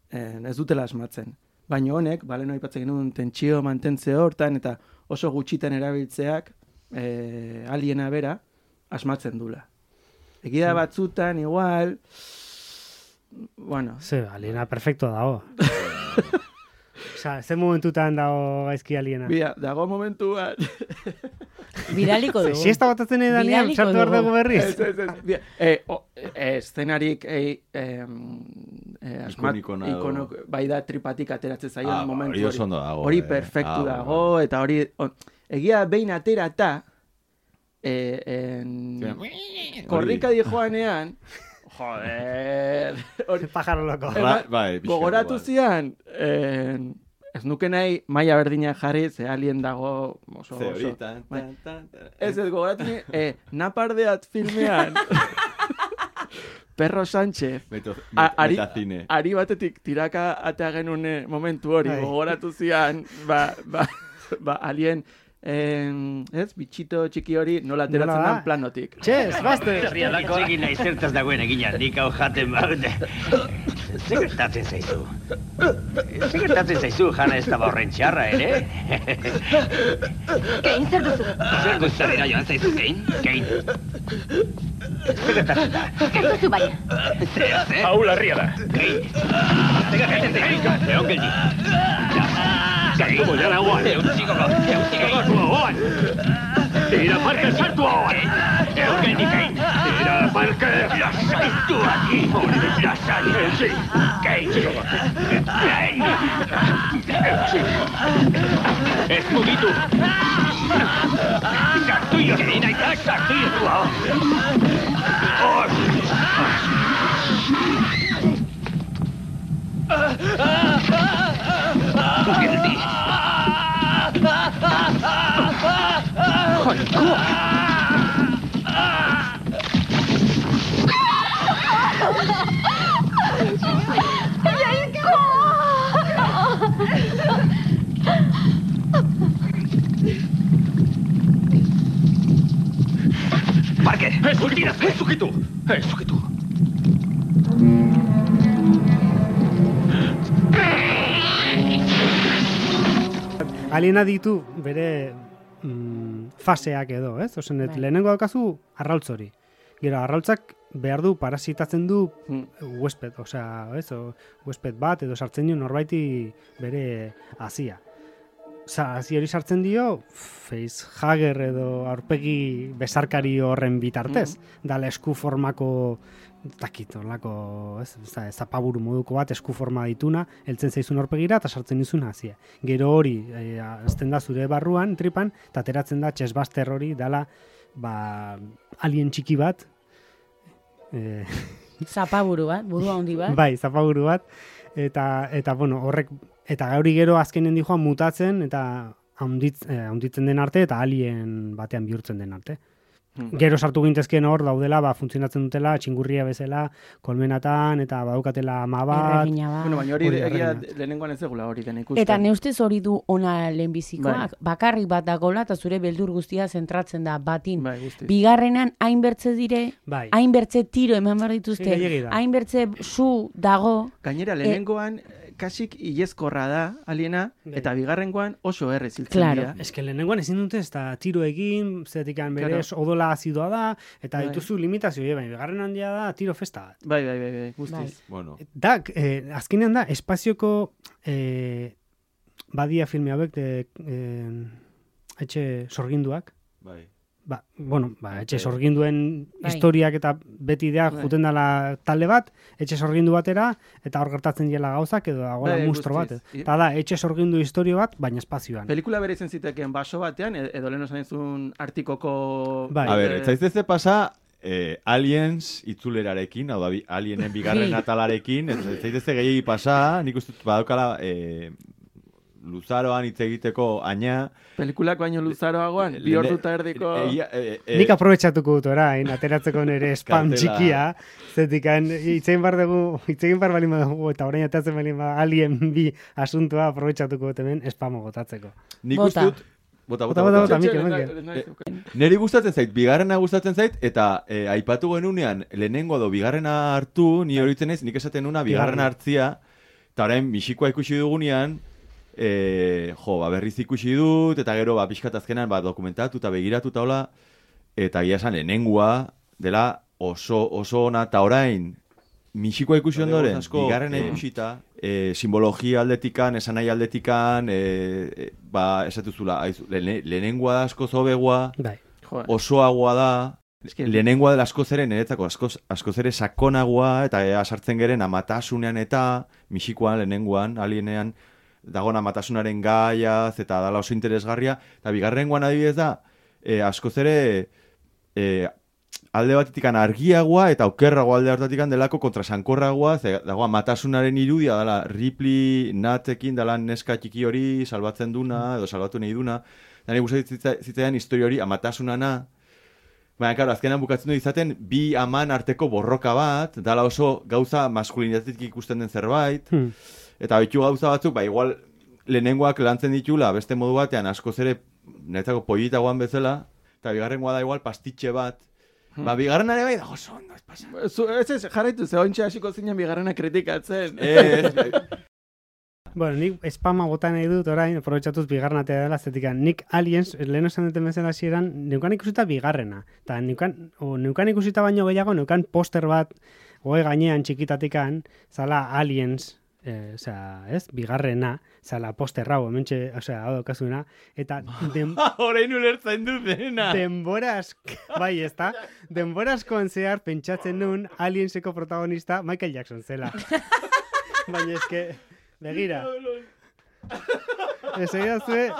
eh, ez dutela asmatzen. Baina honek, balen aipatzen genuen tentsio mantentze hortan eta oso gutxitan erabiltzeak eh, aliena bera asmatzen dula. Egia batzutan, igual, bueno... Ze, aliena perfecto dago. Osa, ze momentutan dago gaizki aliena. Bia, dago momentu bat... Bidaliko dugu. Si esta botatzen edo danean, Bidaliko sartu behar dugu. dugu berriz. Ez, ez, ez. Bia, eh, o, eh, eszenarik eh, eh, eh, asmat, Ikonikona edo- ikono, bai da tripatik ateratzen zaion Ah, momentu hori oso ondo dago, Hori eh. perfektu Ah, dago, eta hori... on, egia behin aterata, eh, en, korrika di joanean, joder... Hori, Pájaro loco. Ema- Bai, bai, pixka gogoratu igual. zian, en, ez nuke nahi maila berdina jarri, ze alien dago oso Ze hori, oso. tan, Bai. tan, tan, tan. Ez ez gogoratu ni, eh, napardeat filmean, Perro Sánchez, Meto, A- met, ari, metazine. ari batetik tiraka atea genune momentu hori, Bai. gogoratu zian, ba, ba, ba alien, en, ez, bitxito txiki hori nola ateratzen Nola da? den planotik. Txez, bazte! Herrialako egin nahi zertaz dagoen egina, nik hau jaten baute. Zer gertatzen zaizu? Zer gertatzen zaizu, jana ez da horren txarra, ere? Kein, zer duzu? Zer guztarera joan zaizu, Kein? Kein? Zer gertatzen da? Zer duzu baina? Zer, zer? Hau larria da. Kein? Zer gertatzen zaizu? Egon geldi. Kein? Moiara guan. Eutzikoko, eutzikoko. Guan. Tira Parker, sartu hauan. Egon geldi, Kein. Tira Parker. Lasaitu aquí. Lasai. Sí. Kein. Kein. Ez mugitu. Sartu jo, Kein, aita, sartu jo zu hau. Geldi. Parker, Ez ukitu. Ez ukitu. Ez ukitu. Aliena ditu bere mm, faseak edo, ez? Ozen, Bai. lehenengo daukazu arrautz hori. Gero, arrautzak behar du parasitatzen du Hmm. huesped, osea, ez, o, huesped bat edo sartzen dio norbaiti bere hazia. Osa, hazi hori sartzen dio, facehugger edo aurpegi besarkari horren bitartez. Dala esku formako, takit, horlako, ez, ez, zapaburu moduko bat, esku forma dituna, heltzen zaizun aurpegira eta sartzen dizun hazia. Gero hori, e, azten da zure barruan, tripan, eta ateratzen da chestbuster hori, dala, ba, alien txiki bat, e, Zapaburu bat, buru handi bat. bai, zapaburu bat, eta, eta bueno, horrek, eta gauri gero azkenen dijoan mutatzen, eta haunditz, eh, haunditzen den arte, eta alien batean bihurtzen den arte. Gero sartu gintezken hor daudela, ba, funtzionatzen dutela, txingurria bezala, kolmenatan, eta badaukatela ama bat. Erregina bat. Bueno, baina hori Hori egia erregina. lehenengoan ez egula hori den ikusten. Eta neustez hori du ona lehenbizikoak, bakarrik bat dagola eta zure beldur guztia zentratzen da batin. Bai, guztiz. Bigarrenan hainbertze dire, Bai. hainbertze tiro eman behar dituzte, Sí, gehiegi da. hainbertze su dago. Gainera, lehenengoan kasik ilezkorra da aliena, eta bigarrengoan oso errez hiltzen Claro. dira. Ez que lehenengoan ezin dute ez da tiro egin, zetikan berez Claro. odola azidoa da, eta Bai. dituzu limitazio, baina bigarren handia da tiro festa bat. Bai, bai, bai, bai, guztiz. Bueno, Da, eh, azkenean da, espazioko eh, badia filme hauek de, eh, etxe sorginduak. bai. Ba, bueno, ba, etxe sorginduen Bai. historiak eta beti da Bai. juten dala talde bat, etxe sorgindu batera, eta hor gertatzen diela gauzak, edo dagoela Bai, mustro bat. guztiz. Eta da, etxe sorgindu historio bat, baina espazioan. Pelikula bere izen zitekeen baso batean, e- edo lehen osan izun artikoko... Bai. A ber, eh, ez zaizteze pasa eh, Aliens itzulerarekin, hau da, bi- Alienen bigarren Bai. atalarekin, ez ez zaitezte gehiagi pasa, nik uste dut badaukala eh, luzaroan hitz egiteko aina. Pelikulak baino luzaroagoan, bi Lene- ordu eta erdiko... Egia- eh, eh, Nik aprobetxatuko dut orain, ateratzeko nire spam Kartela. txikia, zetikan itzegin bar dugu, itzegin bar balin badugu, eta orain atatzen balin bada alien bi asuntua aprobetxatuko dut hemen spamo botatzeko. Nik Bota. uste dut... Bota, Bota, bota, bota, bota. bota, Mikel, Txetxe, Mikel. nahi- nahi zeukan. Neri gustatzen zait, bigarrena gustatzen zait, eta eh, aipatu genunean, lehenengo do bigarrena hartu, ni horitzen ez, nik esaten nuna bigarrena Bigarrena. hartzia, eta orain misikoa ikusi dugunean, eh, jo, ba, berriz ikusi dut, eta gero, ba, pixkat azkenan, ba, dokumentatu eta begiratu eta hola, eta gira esan, lehenengoa, dela oso, oso ona, eta orain, misikoa ikusi Bade, ondoren, asko, bigarrena eh, ikusita, eh, simbologia aldetikan, esanai aldetikan, eh, eh, ba, esatuzula, aizu, lehene- lehenengoa da asko zobegoa, Bai. Joder. osoagoa da, Eske- lehenengoa dela askoz ere, niretzako askoz, askoz ere sakonagoa, eta ea sartzen geren amatasunean eta, misikoan, lehenengoan, alienean, dagoen amatasunaren gaiaz, eta dala oso interesgarria, eta bigarrengoan adibidez da, eh, askoz ere, eh, alde batetikan argiagoa eta okerragoa alde hartatikan delako kontrasankorragoa, ze dago amatasunaren irudia dela Ripley Natekin dela neska txiki hori salbatzen duna, edo salbatu nahi duna, eta nahi gustatzen zitzaidan historia hori amatasunana, baina, karo, azkenan bukatzen du izaten bi aman arteko borroka bat, dala oso gauza maskulinitatetik ikusten den zerbait, Hmm. eta betu gauza batzuk, ba, igual lehenengoak lantzen ditula, beste modu batean askoz ere niretzako pollitagoan bezala, eta bigarrengoa da igual pastitxe bat. Ba, bigarren ere bai da oso ondo, ez pasa. Zu, ez ez, jarraitu, ze ointxe hasiko zinen bigarrena kritikatzen. Ez, Bueno, nik spama bota nahi dut orain, aprobetxatuz bigarren atea dela, zetikan nik Aliens, lehen esan duten bezala hasieran, neukan ikusita bigarrena. Eta neukan, o, neukan ikusita baino gehiago, neukan poster bat, goe gainean txikitatikan, zala Aliens, eh, osea, ez, bigarrena, zala poster hau, hementxe, osea, hau daukazuna, eta den, orain ulertzen du dena. denbora asko, bai, ez da, denbora askoan zehar pentsatzen nun Alienseko protagonista Michael Jackson zela. Baina eske, begira, ez egin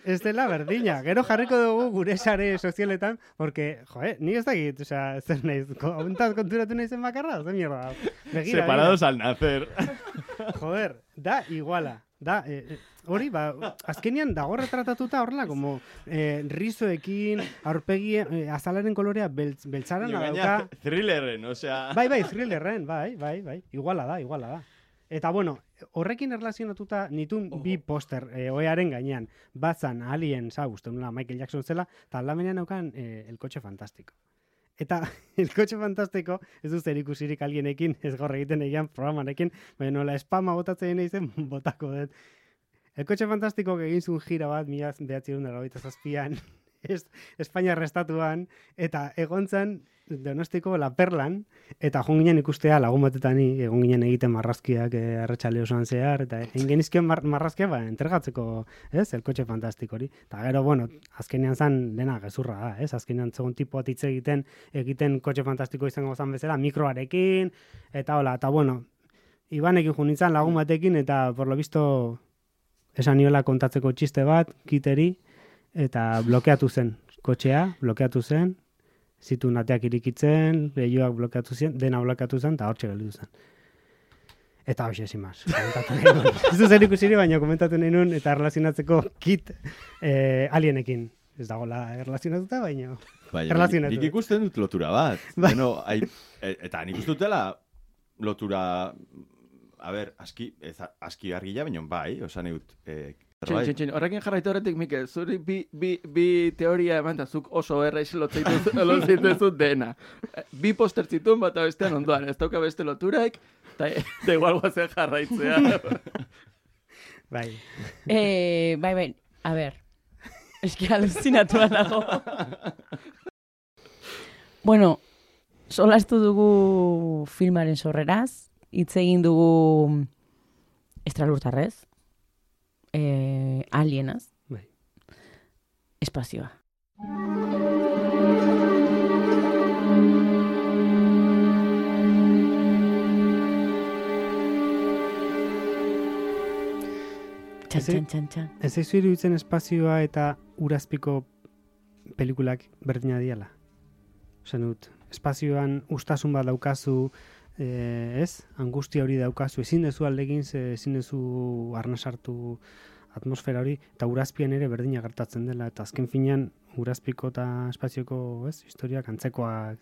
ez dela berdina. Gero jarriko dugu gure sare sozialetan, porque, joe, ni ez dakit, osea, zer naiz, hontaz konturatu naizen bakarra, zer mierda. Begira, Separados al nacer. begira. Joder, da iguala. Da, eh, eh, hori, ba, azkenian dago retratatuta horrela, como eh, rizoekin, aurpegi, eh, azalaren kolorea beltz, beltzaran dauka. Thrillerren, osea... Bai, bai, thrillerren, bai, bai, bai. Iguala da, iguala da. Eta bueno, horrekin erlazionatuta nitun bi poster eh, oearen gainean. Batzan Alien, za, uste nula Michael Jackson zela, eta aldamenean naukan eh, El Coche Fantástico. Eta El Coche Fantástico ez du zer ikusirik alienekin, ez gaur egiten egian programarekin, baina nola spama botatzen nahi zen botako dut. El Coche Fantástico egin zuen gira bat, mila behatziehun eta laurogeita zazpian, es, Espainiar estatuan, eta egon zen Donostiko La Perlan, eta joan ginen ikustea lagun batetan ni, egon ginen egiten marrazkiak eh, arratsale osoan zehar, eta egin genizkion mar, marrazkia ba, entregatzeko, ez, el kotxe fantastiko hori. Eta gero, bueno, azkenean zan dena gezurra da, ez, azkenean zegoen tipo hitz egiten, egiten kotxe fantastiko izango zan bezala, mikroarekin, eta hola, eta bueno, Ibanekin joan nintzen lagun batekin, eta por lo visto esan niola kontatzeko txiste bat, kiteri, eta blokeatu zen, kotxea, blokeatu zen, zituen ateak irikitzen, lehioak blokeatu zen, dena blokeatu zen, eta hortxe gelditu zen. Eta hoxe, sin más. Komentatu nahi nun. Ez du zer ikusiri, baina komentatu nahi nun, eta erlazionatzeko kit eh, alienekin. Ez dagoela erlazionatuta, baina Baina, nik ikusten dut lotura bat. Bai. Bueno, ai, e, eta nik uste dutela lotura, a ber, aski, ez, aski argila, baina bai, osan egut, eh, Txin, txin, txin. Horrekin jarraitu horretik, Mikel, zuri bi, bi, bi teoria eman, eta zuk oso erraiz lotzeitu dena. Bi poster zituen bat bestean ondoan, ez dauka beste loturaik, eta igual guazen jarraitzea. Bai. Eh, bai, bai, a ber, eski alucinatua nago. Bueno, solastu dugu filmaren sorreraz, hitz egin dugu estralurtarrez, Eh, alienaz. Bai. Espazioa. Txan, txan, txan, txan. Ez eizu iruditzen espazioa eta urazpiko pelikulak berdina diala. Ozen dut, espazioan ustasun bat daukazu, eh, ez? Angustia hori daukazu, ezin dezu aldegin, ezin dezu arnasartu atmosfera hori, eta urazpian ere berdina gertatzen dela, eta azken finean urazpiko eta espazioko, ez, historiak antzekoak,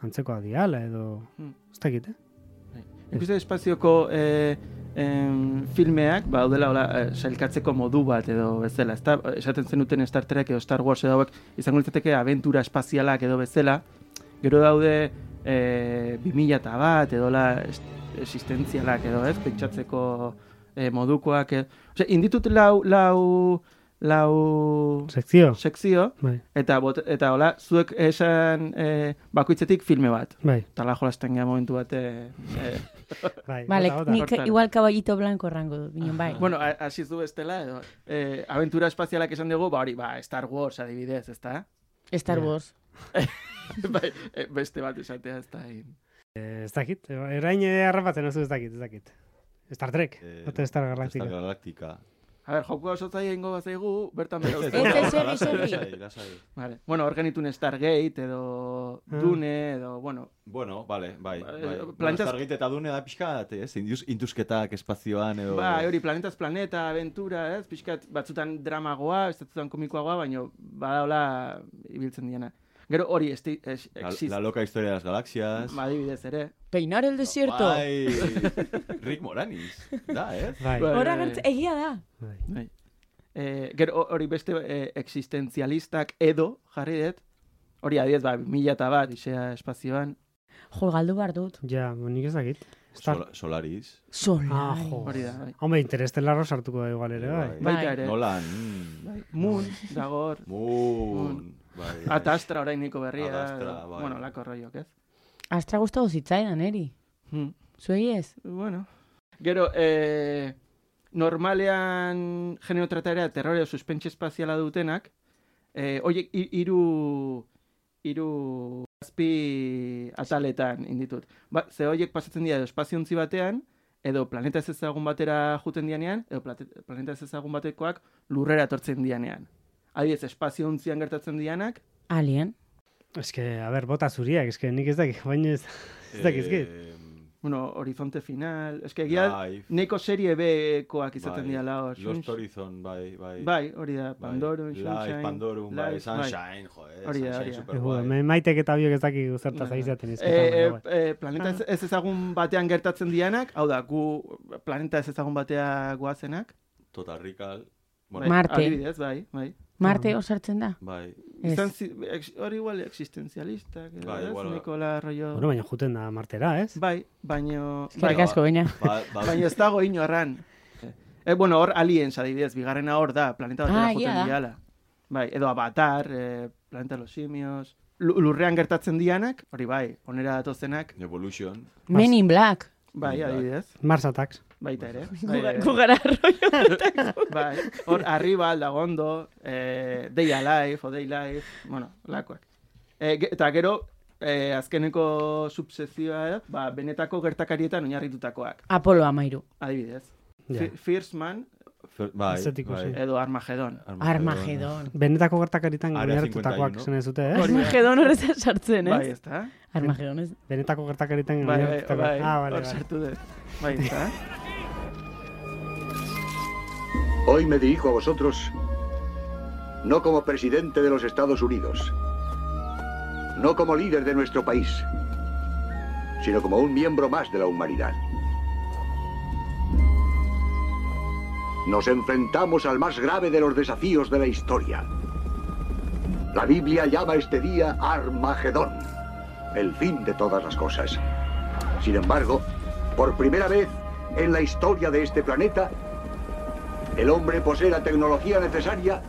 antzekoak diala, edo, Hmm. ez dakit, eh? Ikuste espazioko eh, em, filmeak, ba, daudela hola, eh, sailkatzeko modu bat edo bezala, ezta? Esaten zenuten Star Trek edo Star Wars edo hauek, izango litzateke abentura espazialak edo bezala, gero daude eh, bi mila eta bat edo la existentzialak edo, ez? Pentsatzeko eh, modukoak, edo. Ose, inditut lau, lau, lau Sekzio. sekzio, Bai. eta, bot, eta hola, zuek esan eh, bakoitzetik filme bat. Bai. Eta la jolasten gara momentu bat, eh, eh, Bai, Vale, bota, bota. nik Hortan. igual caballito blanco rango dut, binen bai. Bueno, a- hasi zu bestela, edo, eh, aventura espazialak esan dugu, ba hori, ba, Star Wars adibidez, ezta? Star Wars. bai, eh, beste bat esatea, ez da. Eh, ez dakit, erain harrapatzen oso ez dakit, ez dakit. Star Trek, Eh, ote Star Galactica. Star Galactica. A ber, joku oso zaila ingo bat zaigu, bertan bera Ez, ez, segi, segi. Lasai, lasai. Vale. Bueno, hor genitun Stargate, edo Ah. Dune, edo, bueno, Bueno, vale, bai. Ba, bai. eh, Bueno, planetaz- Stargate eta Dune da pixka, ez? Induz, induzketak espazioan edo... ba, hori, planetaz planeta, aventura, ez? Pixkat, batzutan dramagoa, batzutan komikoagoa, baina badaola ibiltzen diena. Gero hori, esti, es, La, exist, la loca historia de las galaxias. ba, adibidez ere. Peinar el desierto. Bai, Rick Moranis. Da, ez? Bai, Bai. Hora gertz, egia da. bai. Bai. Eh, gero hori beste eh, existenzialistak edo jarri dut, hori adibidez, ba, mila eta bat, isea espazioan, Jo, galdu bar dut. Ja, nik ez dakit. Star... Sol, Solaris. Solari. Ah, jo. hori da, bai. Hombre, Interestelarro sartuko da igual ere, bai. Bai. Baita ere. Nolan. mm. Bai. Moon, dagor, Moon. Bai. Ata Astra orainiko berria, Ad Astra, edo, bai. bueno, lako rolloak, ez? Astra gustatu zitzaidan, eri. Hmm. Zuei ez? Bueno. Gero, eh, normalean genero trataera terrore o suspense espaziala dutenak, eh, oiek hi- hiru hiru azpi ataletan inditut. Ba, ze horiek pasatzen dira edo espaziontzi batean, edo planeta ez ezagun batera juten dianean, edo plate- planeta ez ezagun batekoak lurrera etortzen dianean. Adibidez, espaziontzian gertatzen dianak, Alien. Ez que, a ber, bota zuriak, ez que nik ez dakit, baina ez, ez dakit, ez dakit. Eh, bueno, Horizonte Final, eske egia Life. neko serie B-koak izaten Bai. dira la hor. Lost Horizon, bai, bai. Bai, hori da, Bai. Pandorum, Life, Sunshine. Pandorum, bai, Life, Sunshine, joder, Hori da, Sunshine hori da. super Egu, guai. me maitek eta biok ez dakik zertaz Bai. aizaten Eh, izketan, eh, baina bai. eh, planeta ez, ez ezagun batean gertatzen dianak, hau da, gu planeta ez ezagun batea goazenak. Total Recall. Bai, Bueno, Marte. Adibidez, bai, bai. Marte hor sartzen da? bai. Ez. Izan zi- ex- hori igual existenzialistak, edo, Bai, ez? igual, bai. Nikola rollo... Bueno, baina juten da martera, ez? Bai, baino... Eskerrik Bai, asko, baina. Ba, ba, baina ez dago inorran. Eh, bueno, hor aliens adibidez, bigarrena hor da, planeta batera Ah, egia joten da. diala. Bai, edo Avatar, eh, Planeta los Simios, lurrean gertatzen dianak, hori bai, onera datozenak. Evolution. Men in Black. Bai, adibidez. Mars Attacks. Baita ere. Gugara rollo. Bai, hor, Arribal, Dagondo, eh, Day Alive, o Day Life, bueno, lakoak. Eh, eta gero, eh, azkeneko subsezioa, ba, benetako gertakarietan oinarritutakoak. Apolo amairu. Adibidez. Ja. First Man, Bai, Estetiko, bai. sí. edo Armagedon. Armagedon. Benetako gertakaritan Area oinarritutakoak cincuenta y uno. zen ez dute, eh? Armagedon horretzen sartzen, ez? Bai, ez da? Armagedon ez. Benetako gertakaritan Bai, bai, oinarritutakoak. bai, Ah, vale, hor vale. sartu dut. Bai, ez da? Hoy me dirijo a vosotros no como presidente de los Estados Unidos, no como líder de nuestro país, sino como un miembro más de la humanidad. Nos enfrentamos al más grave de los desafíos de la historia. La Biblia llama este día Armagedón, el fin de todas las cosas. Sin embargo, por primera vez en la historia de este planeta, el hombre posee la tecnología necesaria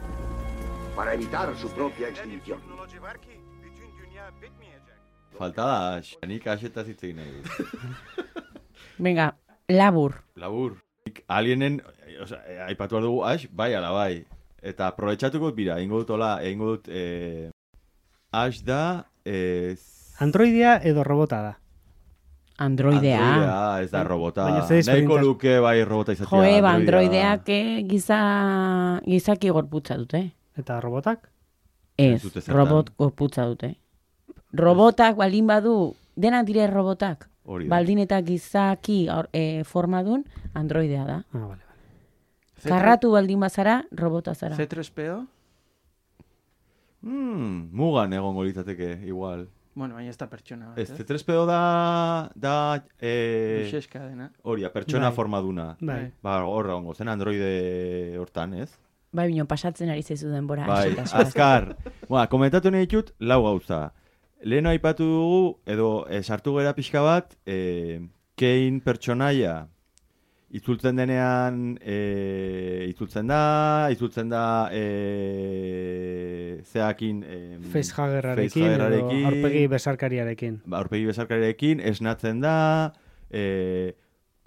para evitar su propia extinción. Falta da Ash. Nik Ashetaz hitz egin nahi dut. Venga, labur. Labur. Nik alienen, oza, aipatu behar dugu Ash, bai ala bai. Eta aprobetxatuko bira, ingo dut hola, ingo dut, eh, Ash da, eh, Androidea edo robota da? Androidea. Androidea, ez da robota. Baina ze Nahiko desberdintas- luke bai robota izatea. Jo, eba, androideak eh, giza, gizaki gorputza dute. Eta robotak? Ez, Ez dute zertan. robot gorputza dute. Robotak baldin badu, denak dire robotak. Hori da. Baldin eta gizaki aur- eh, formadun, androidea da. Ah, vale. Karratu baldin bazara, robota zara. C tres P O? Hmm, mugan egongo litzateke, igual. Bueno, baina ez da pertsona bat, Ez, C tres P O da, da, eh, Luxeska dena. hori, pertsona Bai. formaduna. Bai. Ba, horra ongo, zen androide hortan, ez? Bai, bino, pasatzen ari zaizu denbora. Bai, Axeta, zoaz. azkar. Ba, komentatu nahi ditut, lau gauza. Leheno aipatu dugu, edo eh, sartu gera pixka bat, eh, Kane pertsonaia itzultzen denean, eh, itzultzen da, itzultzen da, eh, zeakin... Eh, Facehuggerrarekin edo aurpegi besarkariarekin. Ba, aurpegi besarkariarekin, esnatzen da, eh,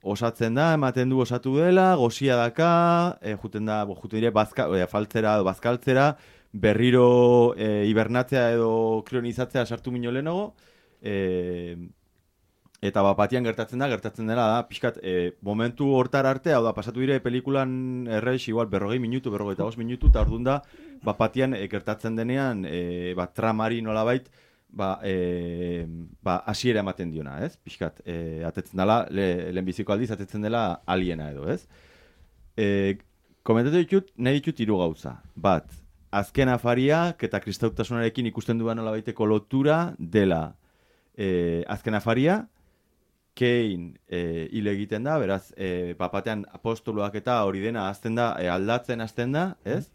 osatzen da, ematen du osatu dela, gozia daka, eh, juten da, bo, juten dire, bazka, eh, faltzera edo bazkaltzera, berriro eh, hibernatzea edo krionizatzea sartu mino lehenago, eh, eta bapatian gertatzen da, gertatzen dela da, pixkat, eh, momentu hortar arte, hau da, pasatu dire pelikulan errex, igual, berrogei minutu, berrogei eta os minutu, eta orduan da, bapatian eh, gertatzen denean, eh, ba, tramari nolabait, ba, e, ba, asiera ematen diona, ez? Pixkat, e, atetzen dela, le, lehenbiziko aldiz, atetzen dela aliena edo, ez? E, komentatu ditut, nahi ditut hiru gauza. Bat, azken afariak eta kristautasunarekin ikusten duan nolabaiteko lotura dela. E, azken afaria, Kane e, hil egiten da, beraz, e, papatean apostoloak eta hori dena azten da, e, aldatzen azten da, ez?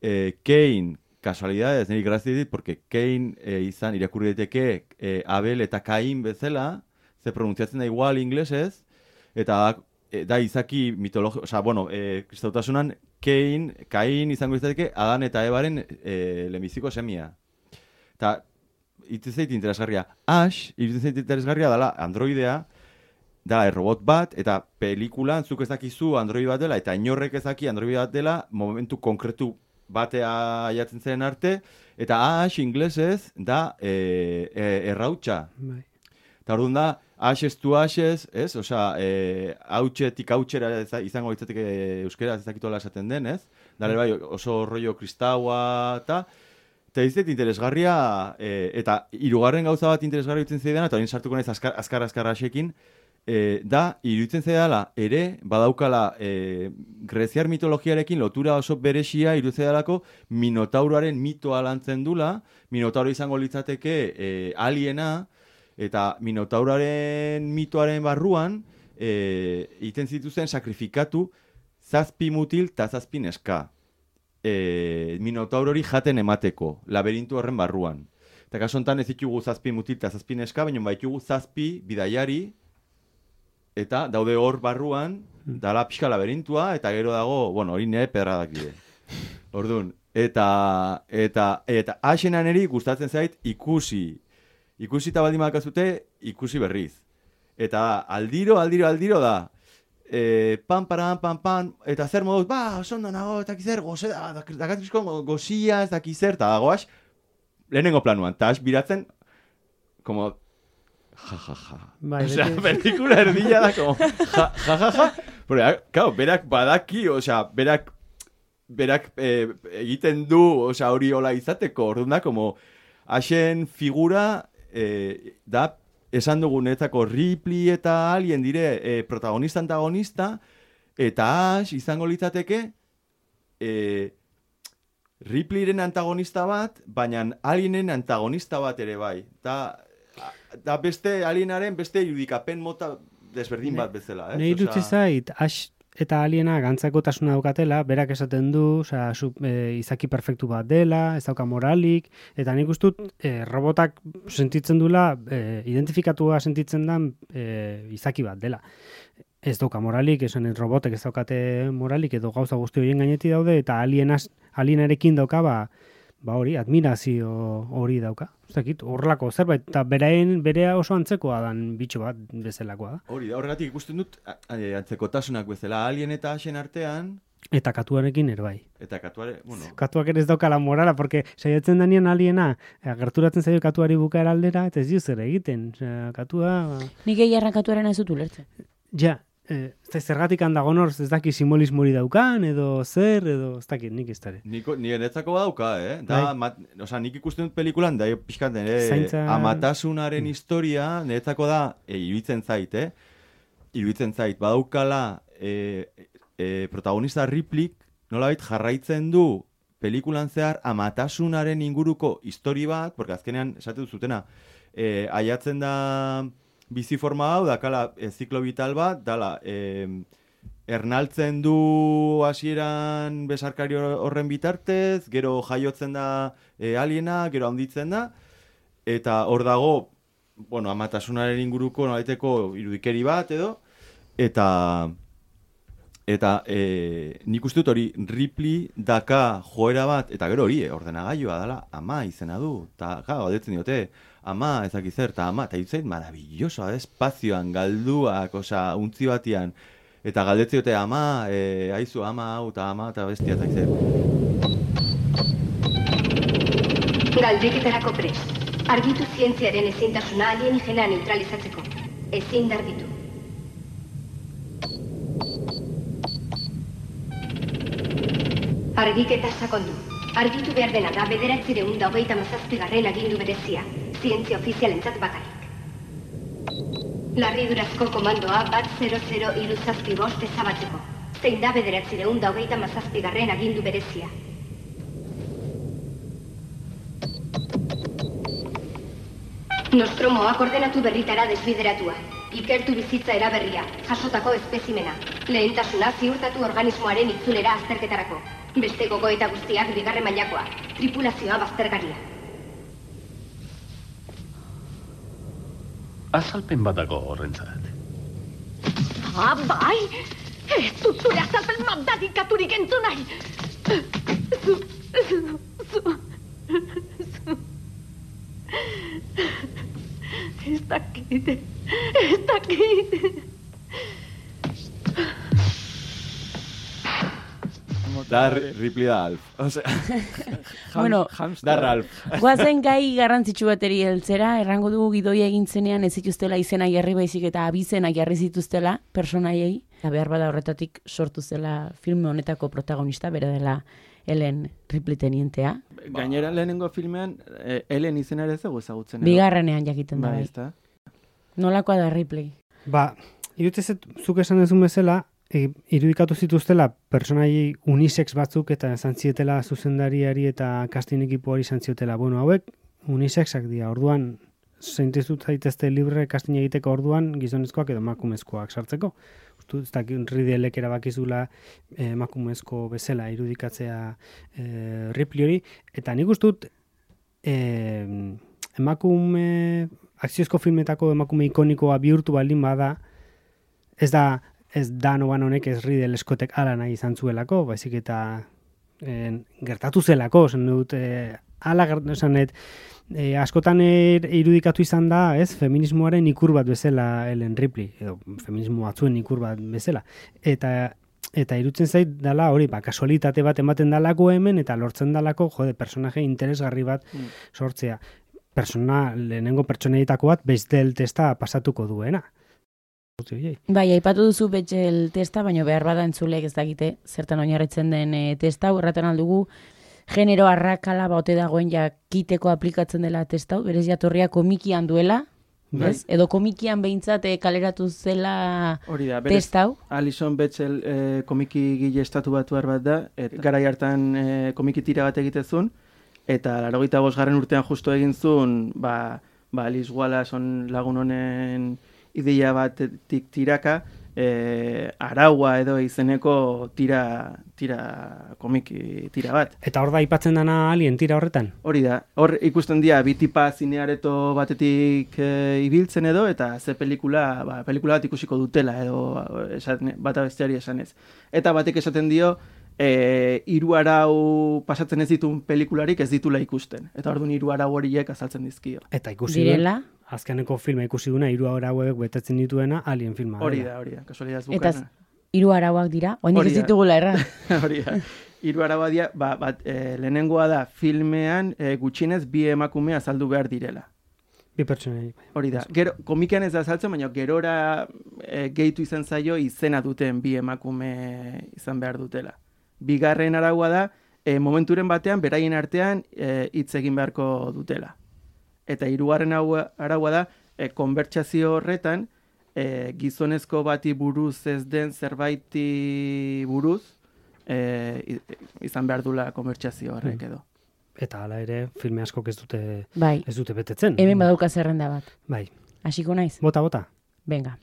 E, Kane, kasualidades, niri grazia dit, porque Kane e, izan irakurri daiteke e, Abel eta Cain bezala, ze pronuntziatzen da igual inglesez, eta da, e, da izaki mitologio, oza, bueno, e, kristautasunan Kane, Cain izango izateke Adan eta Ebaren e, lehenbiziko semia. Eta, itzen zait interesgarria. Ash, itzen zait interesgarria dela androidea, da robot bat, eta pelikulan zuk ez dakizu android bat dela, eta inorrek ez daki android bat dela, momentu konkretu batea aiatzen zen arte, eta Ash inglesez da e, e, errautxa. Bai. Eta orduan da, Ashes to Ashes, ez? Osea, e, hautxetik hautxera izango litzateke euskera ez dakitola esaten den, ez? Dale bai, oso rollo kristaua, eta eta izet interesgarria, e, eta hirugarren gauza bat interesgarria iruditzen zaidan, eta hori sartuko naiz azkar, azkar, azkar Ashekin, E, da, iruditzen zaidala, ere, badaukala e, greziar mitologiarekin lotura oso beresia iruditzen zaidalako Minotauroaren mitoa lantzen dula, Minotauro izango litzateke e, aliena, eta Minotauroaren mitoaren barruan e, iten zituzen sakrifikatu zazpi mutil eta zazpi neska. E, Minotaurori jaten emateko, laberintu horren barruan. Eta kaso honetan ez ditugu zazpi mutil eta zazpi neska, baina baitugu zazpi bidaiari, eta daude hor barruan, dala pixka laberintua, eta gero dago, bueno, hori nire pedradak dire. Orduan, Eta, eta, eta Asena neri gustatzen zait ikusi. Ikusi eta baldin badakazute, ikusi berriz. Eta aldiro, aldiro, aldiro da. E, pan, paran, pan, pan, eta zer moduz, ba, osondo nago, eta kizer, goze da, dakatrizko gozia, ez dakizer, eta dagoaz, lehenengo planuan, eta biratzen, como, ja, ja, ja. Bai, osea, pelikula erdila da, como, ja, ja, ja, ja. Porque, claro, berak badaki, osea, berak, berak eh, egiten du, osea, hori hola izateko, orduan da, como, hasen figura, eh, da, esan dugunetako Ripley eta Alien dire eh, protagonista antagonista, eta Ash izango litzateke eh, Ripleyren antagonista bat, baina Alienen antagonista bat ere bai. Da, da beste Alienaren beste irudikapen mota desberdin bat bezala. Eh? Nei dutzi zait, Ash eta Aliena gantzakotasuna daukatela, berak esaten du, osea, e, izaki perfektu bat dela, ez dauka moralik, eta nik ustut e, robotak sentitzen dula, e, identifikatua sentitzen dan e, izaki bat dela. Ez dauka moralik, esan robotek ez daukate moralik, edo gauza guzti horien gaineti daude, eta alienas, alienarekin dauka, ba, ba hori, admirazio hori dauka. Ez dakit, horrelako zerbait, eta beraen, berea oso antzekoa dan bitxo bat bezalakoa da. Hori da, horregatik ikusten dut, antzekotasunak bezala, Alien eta Ashen artean, eta katuarekin ere bai. Eta katuare, bueno. Katuak ere ez daukala morala, porque saiatzen danian Aliena, gerturatzen zaio katuari bukaera aldera, eta ez dio zer egiten. Osea, katua... Nik egiarra katuaren ez dut ulertzen. Ja, eh, ez zergatik handago norz, ez daki simbolismori daukan, edo zer, edo ez dakit nik ez dara. Niko, nire netzako badauka, eh? Da, mat, oza, nik ikusten dut pelikulan, da, pixkat, nire Zaintza... amatasunaren historia, niretzako da, e, iruditzen zait, eh? Iruditzen zait, badaukala, e, e, protagonista Ripley, nolabait jarraitzen du pelikulan zehar amatasunaren inguruko histori bat, porque azkenean, esate duzutena, e, aiatzen da bizi forma hau, dakala e, ziklo vital bat, dala, e, ernaltzen du hasieran besarkari horren bitartez, gero jaiotzen da e, aliena, gero handitzen da, eta hor dago, bueno, amatasunaren inguruko nolaiteko irudikeri bat edo, eta eta e, nik uste dut hori Ripley daka joera bat, eta gero hori, ordenagailua dela, ama izena du, eta gara, galdetzen diote, ama ezakizer, eta ama, eta itzait maravilloso, espazioan, galduak, oza, untzi batian, eta galdetzen diote, ama, e, aizu, ama, hau, eta ama, eta bestia, ezakizer. Galdeketarako prest. Argitu zientziaren ezintasuna alienígena neutralizatzeko. Ezin dargitu. Argiketa sakondu. Argitu behar dena da bederatzireun da hogeita mazazpigarren agindu berezia. Zientzia ofizialentzat bakarrik. Larridurazko komandoa bat zero zero hiru zazpi bost ezabatzeko. Zein da bederatzireun da hogeita mazazpigarren agindu berezia. Nostromoak ordenatu berritara desbideratua. Ikertu bizitza eraberria, jasotako espezimena. Lehentasuna ziurtatu organismoaren itzulera azterketarako. Beste gogoeta guztiak bigarren mailakoa. Tripulazioa baztergaria. Azalpen badago horrentzat. Ah, bai! Ez dut zure azalpen mandadikaturik entzun nahi! Zu, zu, zu, zu... Ez dakit, ez dakit... Da Ripley da Alf. O sea, bueno, da Ralph. Guazen gai garrantzitsu bateri heltzera, errango dugu gidoia egin zenean ez zituztela izena jarri baizik eta abizena jarri zituztela personaiei. Behar bada horretatik sortu zela filme honetako protagonista, bera dela Ellen Ripley tenientea. Gainera lehenengo filmean eh, Ellen izena ere zego ezagutzen. Bigarrenean jakiten da. Ba, Nolakoa da Ripley? Ba, irutzezet zuk esan dezun bezala, E, irudikatu zituztela personai unisex batzuk eta esan zietela zuzendariari eta casting ekipoari esan ziotela. Bueno, hauek unisexak dira, orduan zeintezut zaitezte libre casting egiteko orduan gizonezkoak edo emakumezkoak sartzeko. Ustu, ez dakit Ridleyek erabakizula eh, emakumezko bezala irudikatzea eh, Ripley hori, eta nik ustut eh, emakume akziozko filmetako emakume ikonikoa bihurtu baldin bada, ez da ez da noan honek ez Ridley Scottek ala nahi izan zuelako, baizik eta en, gertatu zelako, zen dut, e, ala gertatu zanet, e, askotan er, irudikatu izan da, ez, feminismoaren ikur bat bezala Ellen Ripley, edo feminismo batzuen ikur bat bezala. Eta eta irutzen zait dala hori, ba, kasualitate bat ematen dalako hemen, eta lortzen dalako, jode, personaje interesgarri bat mm. sortzea. Persona, lehenengo pertsonaietako bat, Bechdel testa pasatuko duena. Bai, aipatu duzu Bechdel testa, baina behar bada entzulek ez dakite, zertan oinarritzen den e, testa, erraten aldugu, genero arrakala baute dagoen jakiteko aplikatzen dela testa, berez jatorria komikian duela, ez? Edo komikian behintzat e, kaleratu zela testa hau. Alison Bechdel e, komiki gile estatu batuar bat da, et, garai hartan e, komiki tira bat egitezun, eta laurogeita bosgarren urtean justo egin zuen, ba, ba Alice Wallace on lagun honen ideia batetik tiraka, e, araua edo izeneko tira, tira komiki tira bat. Eta hor da aipatzen dana Alien tira horretan? Hori da, hor ikusten dira bi tipa zineareto batetik e, ibiltzen edo, eta ze pelikula, ba, pelikula bat ikusiko dutela edo esan, bata besteari esanez. Eta batek esaten dio, e, hiru arau pasatzen ez ditun pelikularik ez ditula ikusten. Eta orduan hiru arau horiek azaltzen dizkio. Eta ikusi direla? Azkeneko filma ikusi duna hiru arauek betetzen dituena Alien filma. Hori da, hori da, kasualidad bukana. Eta hiru arauak dira, oinek ez ditugula erra. Hori da. Hiru araua dira, ba, bat, e, lehenengoa da filmean e, gutxienez bi emakume azaldu behar direla. Bi pertsonei. Hori da. Gero, komikian ez da azaltzen, baina gerora e, gehitu izan zaio izena duten bi emakume izan behar dutela. Bigarren araua da, e, momenturen batean, beraien artean hitz e, egin beharko dutela. Eta hirugarren araua da, e, konbertsazio horretan, e, gizonezko bati buruz ez den zerbaiti buruz, e, izan behar dula konbertsazio horrek edo. Eta hala ere, filme askok ez dute, bai. ez dute betetzen. Hemen badauka zerrenda bat. Bai. Hasiko naiz? Bota, bota. Venga.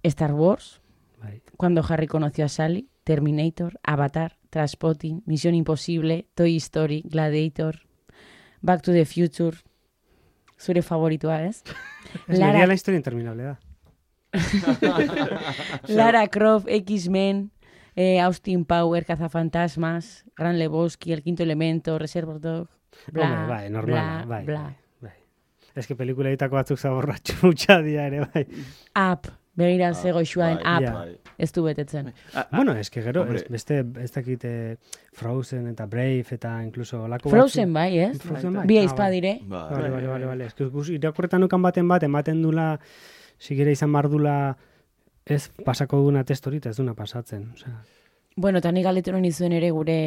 Star Wars, bai. Cuando Harry conoció a Sally, Terminator, Avatar, Trainspotting, Misión Imposible, Toy Story, Gladiator, Back to the Future, zure favoritua, ez? Ez Lara... la historia interminable da. Lara Croft, X-Men, eh, Austin Power, Cazafantasmas, Gran Lebowski, El Quinto Elemento, Reservoir Dogs, bla, Hombre, bai, normal, bla, bai, bla. Bai, bai. Ez que pelikula ditako batzuk zaborratxu mutxa dia ere, bai. Up, begira ah, zego xuaen, bai, up, ja. ez du betetzen. Ah, bueno, ez que gero, ez, beste, ez dakit eh, Frozen eta Brave eta incluso lako Frozen bai, ez? Frozen bai. Bi aizpadire. Ah, vale, vale, vale, vale. Ez que irakurretan ukan baten bat, ematen dula, sigera izan bardula, ez pasako duna testorita, ez duna pasatzen. O sea. Bueno, eta nik galeteron izuen ere gure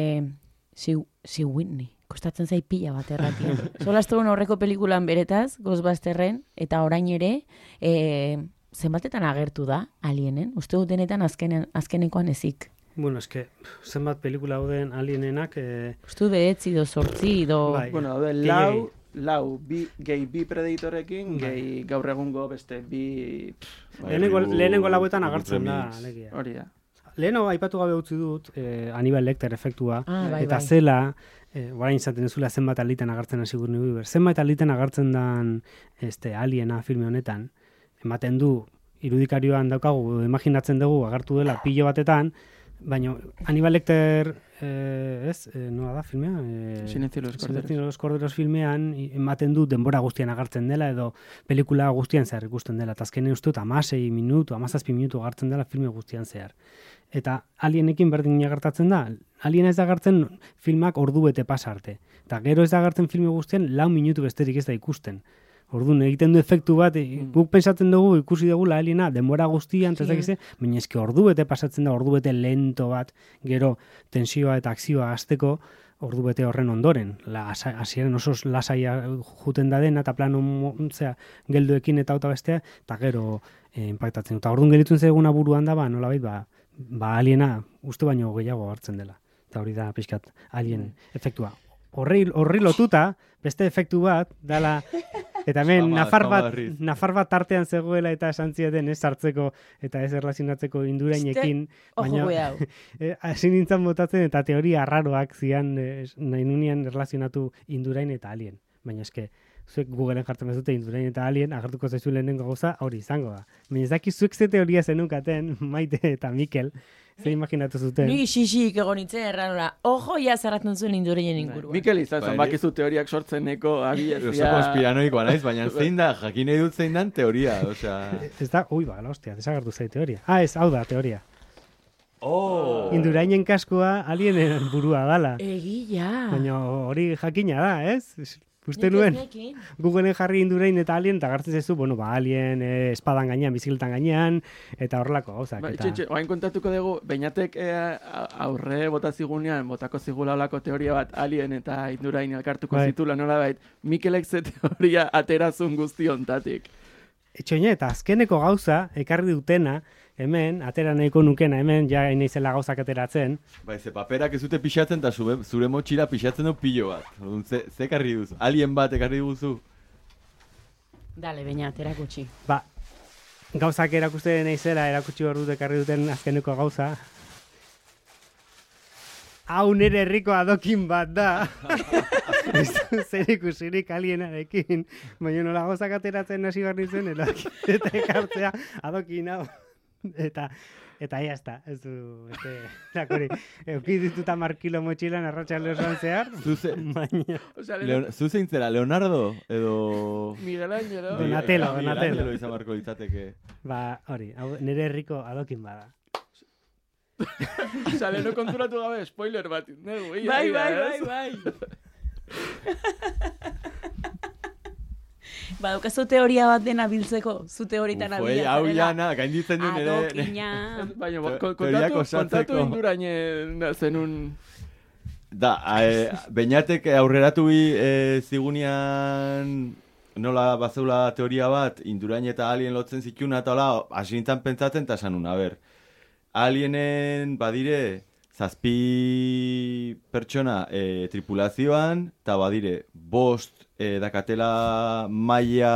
si, si Whitney. Kostatzen zai pila bat erratia. Solastuen horreko pelikulan beretaz, Ghostbusterren, eta orain ere, e, zenbatetan agertu da, Alienen? Uste dut denetan azkenen, azkenekoan ezik. Bueno, eske, zenbat pelikula hauden Alienenak... Eh... Uste dut behetzi do sortzi do... Bai. Bueno, haude, lau, lau, bi, gehi bi Predatorekin, gehi gaur egungo beste bi... Lehenengo, lehenengo lauetan agertzen da, alegia. Hori da. Leheno, aipatu gabe utzi dut, eh, Hannibal Lecter efektua, ah, bai, eta bai. zela, eh, orain izaten ezula zenbat aliten agertzen hasi Sigourney Weaver. Zenbat aliten agertzen dan este, Aliena filme honetan, ematen du, irudikario,an daukagu, imaginatzen dugu, agertu dela pilo batetan, baina Hannibal Lecter, eh, ez, eh, nola da filmea? Eh, Silencio de los Corderos. Silencio de los Corderos filmean, ematen du denbora guztian agertzen dela, edo pelikula guztian zehar ikusten dela. Eta azkenen uste dut, amasei minutu, amazazpi minutu agertzen dela filme guztian zehar. Eta Alienekin berdin agertatzen da. Alien ez da agertzen filmak ordu bete pasarte. Eta gero ez da agertzen filme guztian lau minutu besterik ez da ikusten. Orduan, egiten du efektu bat, mm. guk pensatzen dugu, ikusi dugu la Aliena, denbora guztian, sí. Ezakize, baina eske ordu bete pasatzen da, ordu bete lento bat, gero tensioa eta akzioa hasteko, ordu bete horren ondoren. La hasieran oso lasaia juten da dena, eta plano zera, gelduekin eta auta bestea, eta gero eh, impactatzen. Eta orduan gelitzen zeguna buruan da, ba, nolabait, ba, ba Aliena uste baino gehiago hartzen dela. Eta hori da pixkat Alien mm. efektua. Horri, horri lotuta, beste efektu bat, dala, eta hemen nafar bat, nafar bat tartean zegoela eta esan zieten ez sartzeko eta ez erlazionatzeko indurainekin. Baina, hasi nintzen botatzen eta teoria arraroak zian eh, nahi nunian erlazionatu indurain eta Alien. Baina eske, zuek Googleen jartzen bazute Indurain eta Alien, agertuko zaizu lehenengo gauza hori izango da. Baina ez daki zuek ze teoria zenukaten, Maite eta Mikel, ze imaginatu zuten. Ni xixik egon itzen erranora, ojo ja zarratzen zuen Indurainen inguruan. Mikel izan, bakizu teoriak sortzeneko abiezia. Oso konspiranoikoa naiz, baina zein da, jakin nahi dut zein dan teoria, osea... Ez da, ui ba, hostia, desagertu zai teoria. Ah, ez, hau da, teoria. Oh! Indurainen kaskoa alienen burua dala. Egia. Baina hori jakina da, ez? Uste nuen, Googleen jarri Indurain eta Alien, eta gartzen zezu, bueno, ba, Alien, eh, espadan gainean, bizikletan gainean, eta horrelako gauzak. Ba, eta... Itxe, oain kontatuko dugu, Beñatek eh, aurre bota zigunean, botako zigula olako teoria bat Alien eta Indurain elkartuko bai. zitula nola bait, Mikelek ze teoria aterazun guztiontatik. Etxoine, eta azkeneko gauza, ekarri dutena, hemen, atera nahiko nukena, hemen, ja naizela gauzak ateratzen. Bai, ze paperak ez dute pixatzen, eta zure, zure motxila pixatzen du pilo bat. Ze, ze ekarri duzu? Alien bat ekarri duzu? Dale, Beñat, erakutsi. Ba, gauzak erakuste naizela, erakutsi hor dut ekarri duten azkeneko gauza. Hau nire herriko adokin bat da. Ez du zer ikusirik Alienarekin, baina nola gauzak ateratzen hasi behar nintzen, eta ekartzea adokin hau. Eta, eta ya está, ez du, este, lakori, euki dituta markilo motxilan arratsalde osoan zehar, Zuze, baina... Leon, zuzein zera, Leonardo, edo... Miguel Ángelo. Donatello, Miguel Donatello. Ángelo izan barko litzateke. Ba, hori, hau, nire herriko adokin bada. Osa, leheno konturatu gabe, spoiler bat. Negu, ia, Bai, ia, bai, ez? bai, bai. Ba, daukazu teoria bat dena biltzeko, zu teoritan Ufo, abila. hau jana, gainditzen du nire... Adokina. Baina, Te- ko- teoriak kontatu, osatzeko. kontatu Indurainen zenun... Da, e, Beñatek aurreratu bi e, zigunian nola bazeula teoria bat, Indurain eta Alien lotzen zituna eta hola, hasi nintzen pentsatzen eta esan nun, a ber, Alienen badire zazpi pertsona e, tripulazioan, eta badire bost e, dakatela maia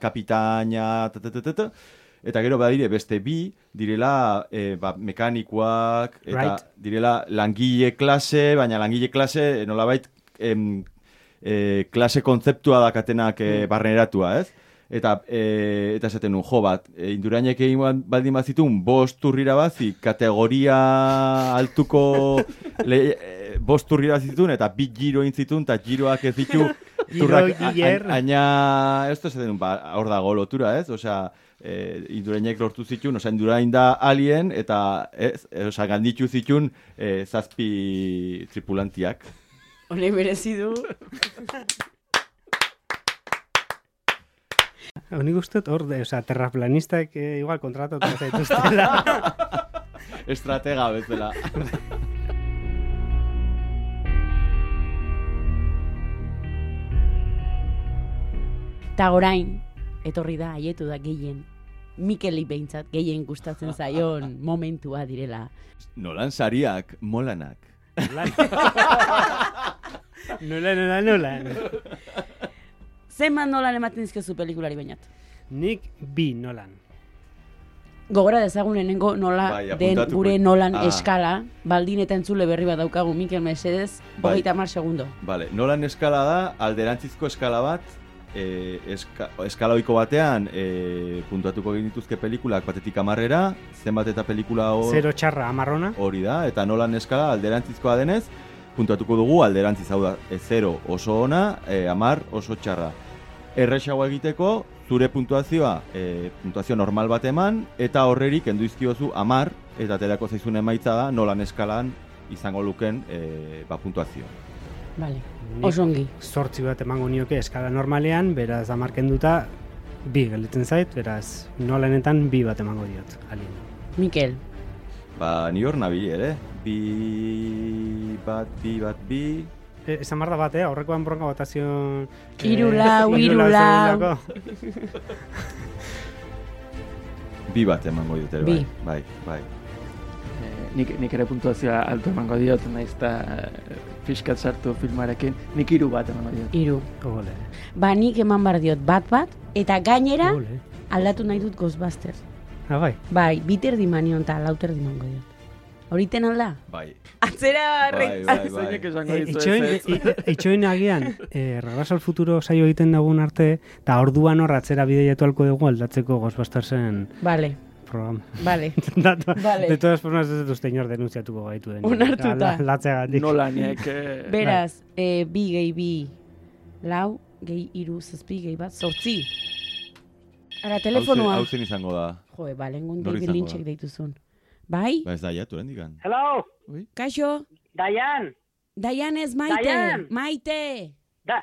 kapitaina, ta, eta gero badire beste bi, direla e, ba, mekanikoak, eta Right. direla langile klase, baina langile klase nolabait em, e, klase kontzeptua dakatenak e, barneratua, ez? Eta, e, eta esaten nun, jo bat, e, Indurainek egin baldin bazitun, bost turrira bazi, kategoria altuko le, e, bost turrira zitun, eta bi giro intzitun, eta giroak ez ditu, turrak, a- a- aina, ez da esaten nun, ba, hor dago lotura, ez? Osea, e, Indurainek lortu zitun, osea, Indurain da Alien, eta, ez, e, osea, ganditu zitun, e, zazpi tripulantiak. Hone merezi du. Nik uste dut hor, de, osea, terraplanistak eh, igual kontratatu zaituztela. Estratega bezala. Ta orain, etorri da, haietu da gehien. Mikeli behintzat gehien gustatzen zaion momentua direla. Nolan sariak, molanak. Nola, nola, nola. Zenbat nolan ematen dizkezu pelikulari bainat? Nik bi nolan. Gogora dezagun lehenengo nola Bai, den apuntatuko. gure nolan Ah. eskala, baldin eta entzule berri bat daukagu Mikel Mesedez, Bai. hogeita hamar segundo. Vale, Nolan eskala da, alderantzizko eskala bat, e, eska, eskala ohiko batean e, puntuatuko egin dituzke pelikulak batetik hamarrera, zenbat eta pelikula hor... Zero txarra, amarrona. Hori da, eta Nolan eskala alderantzizkoa denez, puntuatuko dugu alderantziz, hau da, e, zero oso ona, e, amar oso txarra. Erresago egiteko, zure puntuazioa, e, puntuazio normal bat eman, eta horrerik kendu izkiozu amar, eta aterako zaizun emaitza da, Nolan eskalan izango luken e, ba, puntuazio. Vale, Nik osongi. Zortzi bat emango nioke eskala normalean, beraz amarken duta bi gelditzen zait, beraz nolanetan bi bat emango diot. Alien. Mikel. Ba, ni hor nabil ere, bi bat, bi bat, bi... E, esan behar da bat, eh? Aurrekoan bronka botazio... Hiru lau, hiru lau. Bi bat emango dut ere, Bi. bai, bai, bai. Eh, nik, nik ere puntuazioa alto emango diot, naiz eta fiskat sartu filmarekin, nik hiru bat emango diot. Hiru. Ole. Ba, nik eman bar diot bat bat, eta gainera Ole. aldatu nahi dut Ghostbusters. Ah, bai. Bai, biter dimanion eta lauter dimango diot. Horiten alda? Bai. Atzera Bai, bai, bai. Eitxoin agian, eh, Regreso al Futuro saio egiten dagun arte, eta orduan hor atzera bideiatu alko dugu aldatzeko Ghostbustersen Vale. programa. Vale. Vale. De todas formas, ez dut uste inor denunziatuko gaitu den. Onartuta. Latzegatik. Nola niek... Beraz, eh, bi gehi bi lau, gehi iru zazpi, gehi bat, zortzi. Ara, telefonua. Hau zen izango da. Joe, balengun Nor David izango Lynchek da? deituzun. Bai? Ba ez da, jatu, hendikan. Hello? Kaixo? Diane? Diane ez maite. Diane. Maite. Da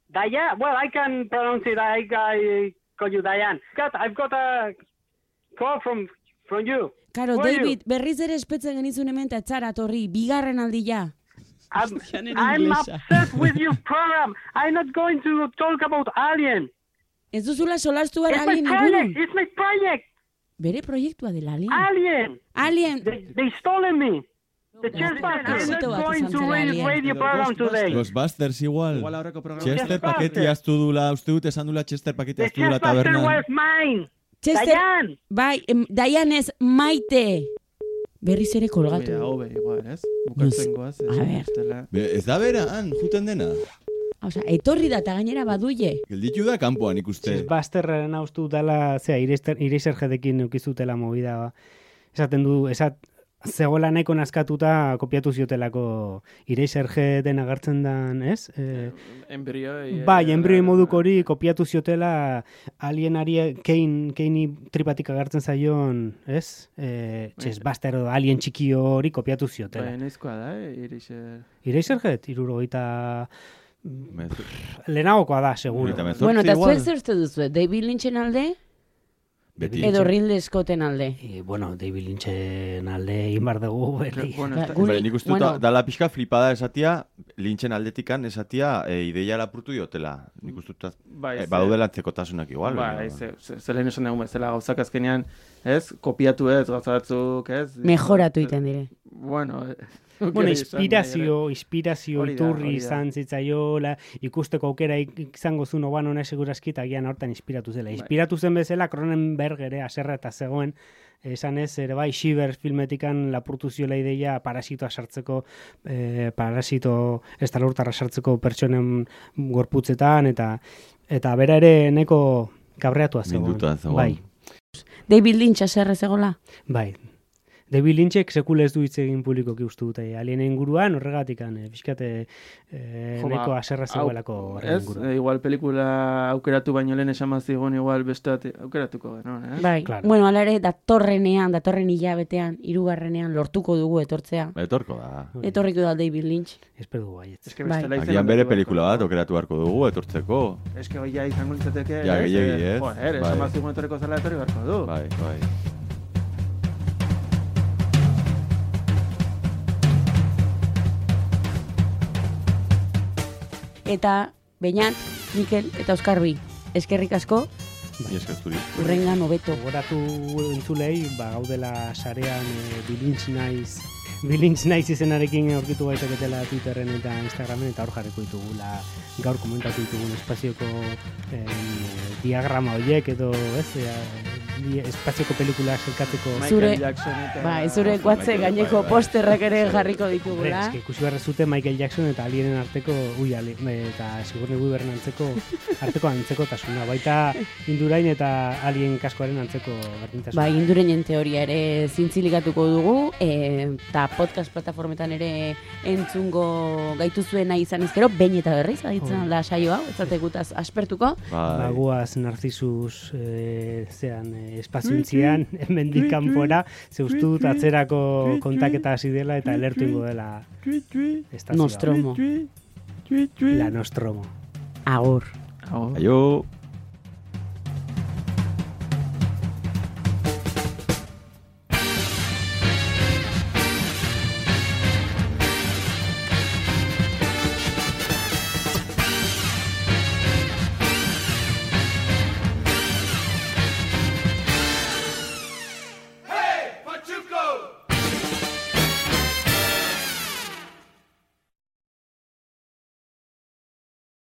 Diane? Well, I can pronounce it. I, I call you Diane. Got, I've got a call from, from you. Karo, Who are David, berriz ere espetzen genizun hemen eta etzara torri, bigarren aldia. I'm, I'm upset with your program. I'm not going to talk about Alien. Ez duzula solastu It's behar my alien project. ingurun. It's my project. Bere proiektua dela alien. Alien. Alien. They, they stolen me. The Chester. I'm not going to read radio program today. Ghostbusters igual. Igual aurreko programa. Chester paketi aztu dula, uste dut esan dula Chester paketi The aztu dula Chester tabernan. was mine. Chester, Diane. bai, em, Diane ez maite. Berriz ere kolgatu. Mira, hobe, igual, ez? Bukatzen goaz. A ver. Be, ez da bera, han, juten dena. Osa, etorri da eta gainera baduie. Gelditu da kanpoan ikuste. Busterren haustu dela, zera, Eraserheadekin eukizutela movida, ba. Esaten du, esat, zegoela nahiko nazkatuta kopiatu ziotelako Eraserheaden agertzen dan, ez? E, Embrioi. bai, embrioi moduko hori kopiatu ziotela alienari kein, keini tripatik agertzen zaion, ez? E, txez, Buster edo alien txiki hori kopiatu ziotela. Bai, noizkoa da, eh? Eraser... Eraserhead, irurogeita... Lehenagokoa da, seguro. Bueno, eta zuek zer uste duzu, David Lynchen alde? Beti. Edo Ridley Scotten alde? E, bueno, David Lynchen alde inbar dugu. Bueno, Bale, nik uste dut, bueno. Dala pixka flipada esatia, Lynchen aldetikan esatia, e, ideia lapurtu diotela. Nik uste dut, bai, e, badaudela antzekotasunak igual. Bai, ze, ze, ze lehen esan dugu bezala gauzak azkenean, ez? Kopiatu ez, gauza batzuk, ez? Mejoratu iten dire. Bueno, Bueno, inspirazio, inspirazio iturri izan zitzaiola, ikusteko aukera izango zuen oban hona segurazki eta gian hortan inspiratu zela. Inspiratu zen bezala Cronenberg ere aserra eta zegoen, esan ez, ere bai, Shiver filmetikan lapurtu ziola ideia parasitoa sartzeko, eh, parasito estalurtarra sartzeko pertsonen gorputzetan, eta eta bera ere neko kabreatua zegoen. Minduta zegoen. Bai. David Lynch aserre zegoela? Bai. David Lynchek sekule ez du hitz egin publikoki uste dute. Alienen inguruan horregatik, eh, fiskate eh, neko aserra zegoelako horren inguruan. Ez, igual pelikula aukeratu baino lehen esan mazigun, igual beste aukeratuko genuen, eh? Bai, claro. Bueno, ala ere, datorrenean, datorren hilabetean, hirugarrenean lortuko dugu etortzea. Etorko da. Etorriko da David Lynch. Espero dugu baietz. Bai. Agian bere pelikula bat aukeratu beharko dugu, etortzeko. Ez que goia izango litzateke, ja, gehiagi, ez? Joder, esan mazigun etorriko zela etorri beharko du. Bai, bai. Eta Beñat, Mikel eta Oskarbi, eskerrik asko. Ni eskerturi. Urrengan hobeto. Gogoratu entzulei, ba, gaudela sarean e, Bilintz naiz, Bilintz naiz izenarekin aurkitu gaiteketela Twitterren eta Instagramen, eta hor jarriko ditugula gaur komentatu ditugun espazioko eh, diagrama horiek edo, ez, e, espazioko pelikula selkatzeko zure, bai, zure kuatze gaineko posterrak ere jarriko ditugula. Ez, ikusi behar zute Michael Jackson eta alienen arteko, ui, ali, eta Sigourney Weaveren antzeko, arteko antzeko tasuna, baita Indurain eta alien kaskoaren antzeko berdintasuna. Bai, Indurainen teoria ere zintzilikatuko dugu, eta podcast plataformetan ere entzungo gaitu zuena izan ezkero, behin eta berriz, aditzen da saio hau, ez zatekutaz aspertuko. Baguaz Narcisus e, zean e, espaziointzian, hemendik kanpora, zeustu dut atzerako kontaketa hasi dela eta elertu ingo dela estazioa. Nostromo. La Nostromo. Agur. Aio.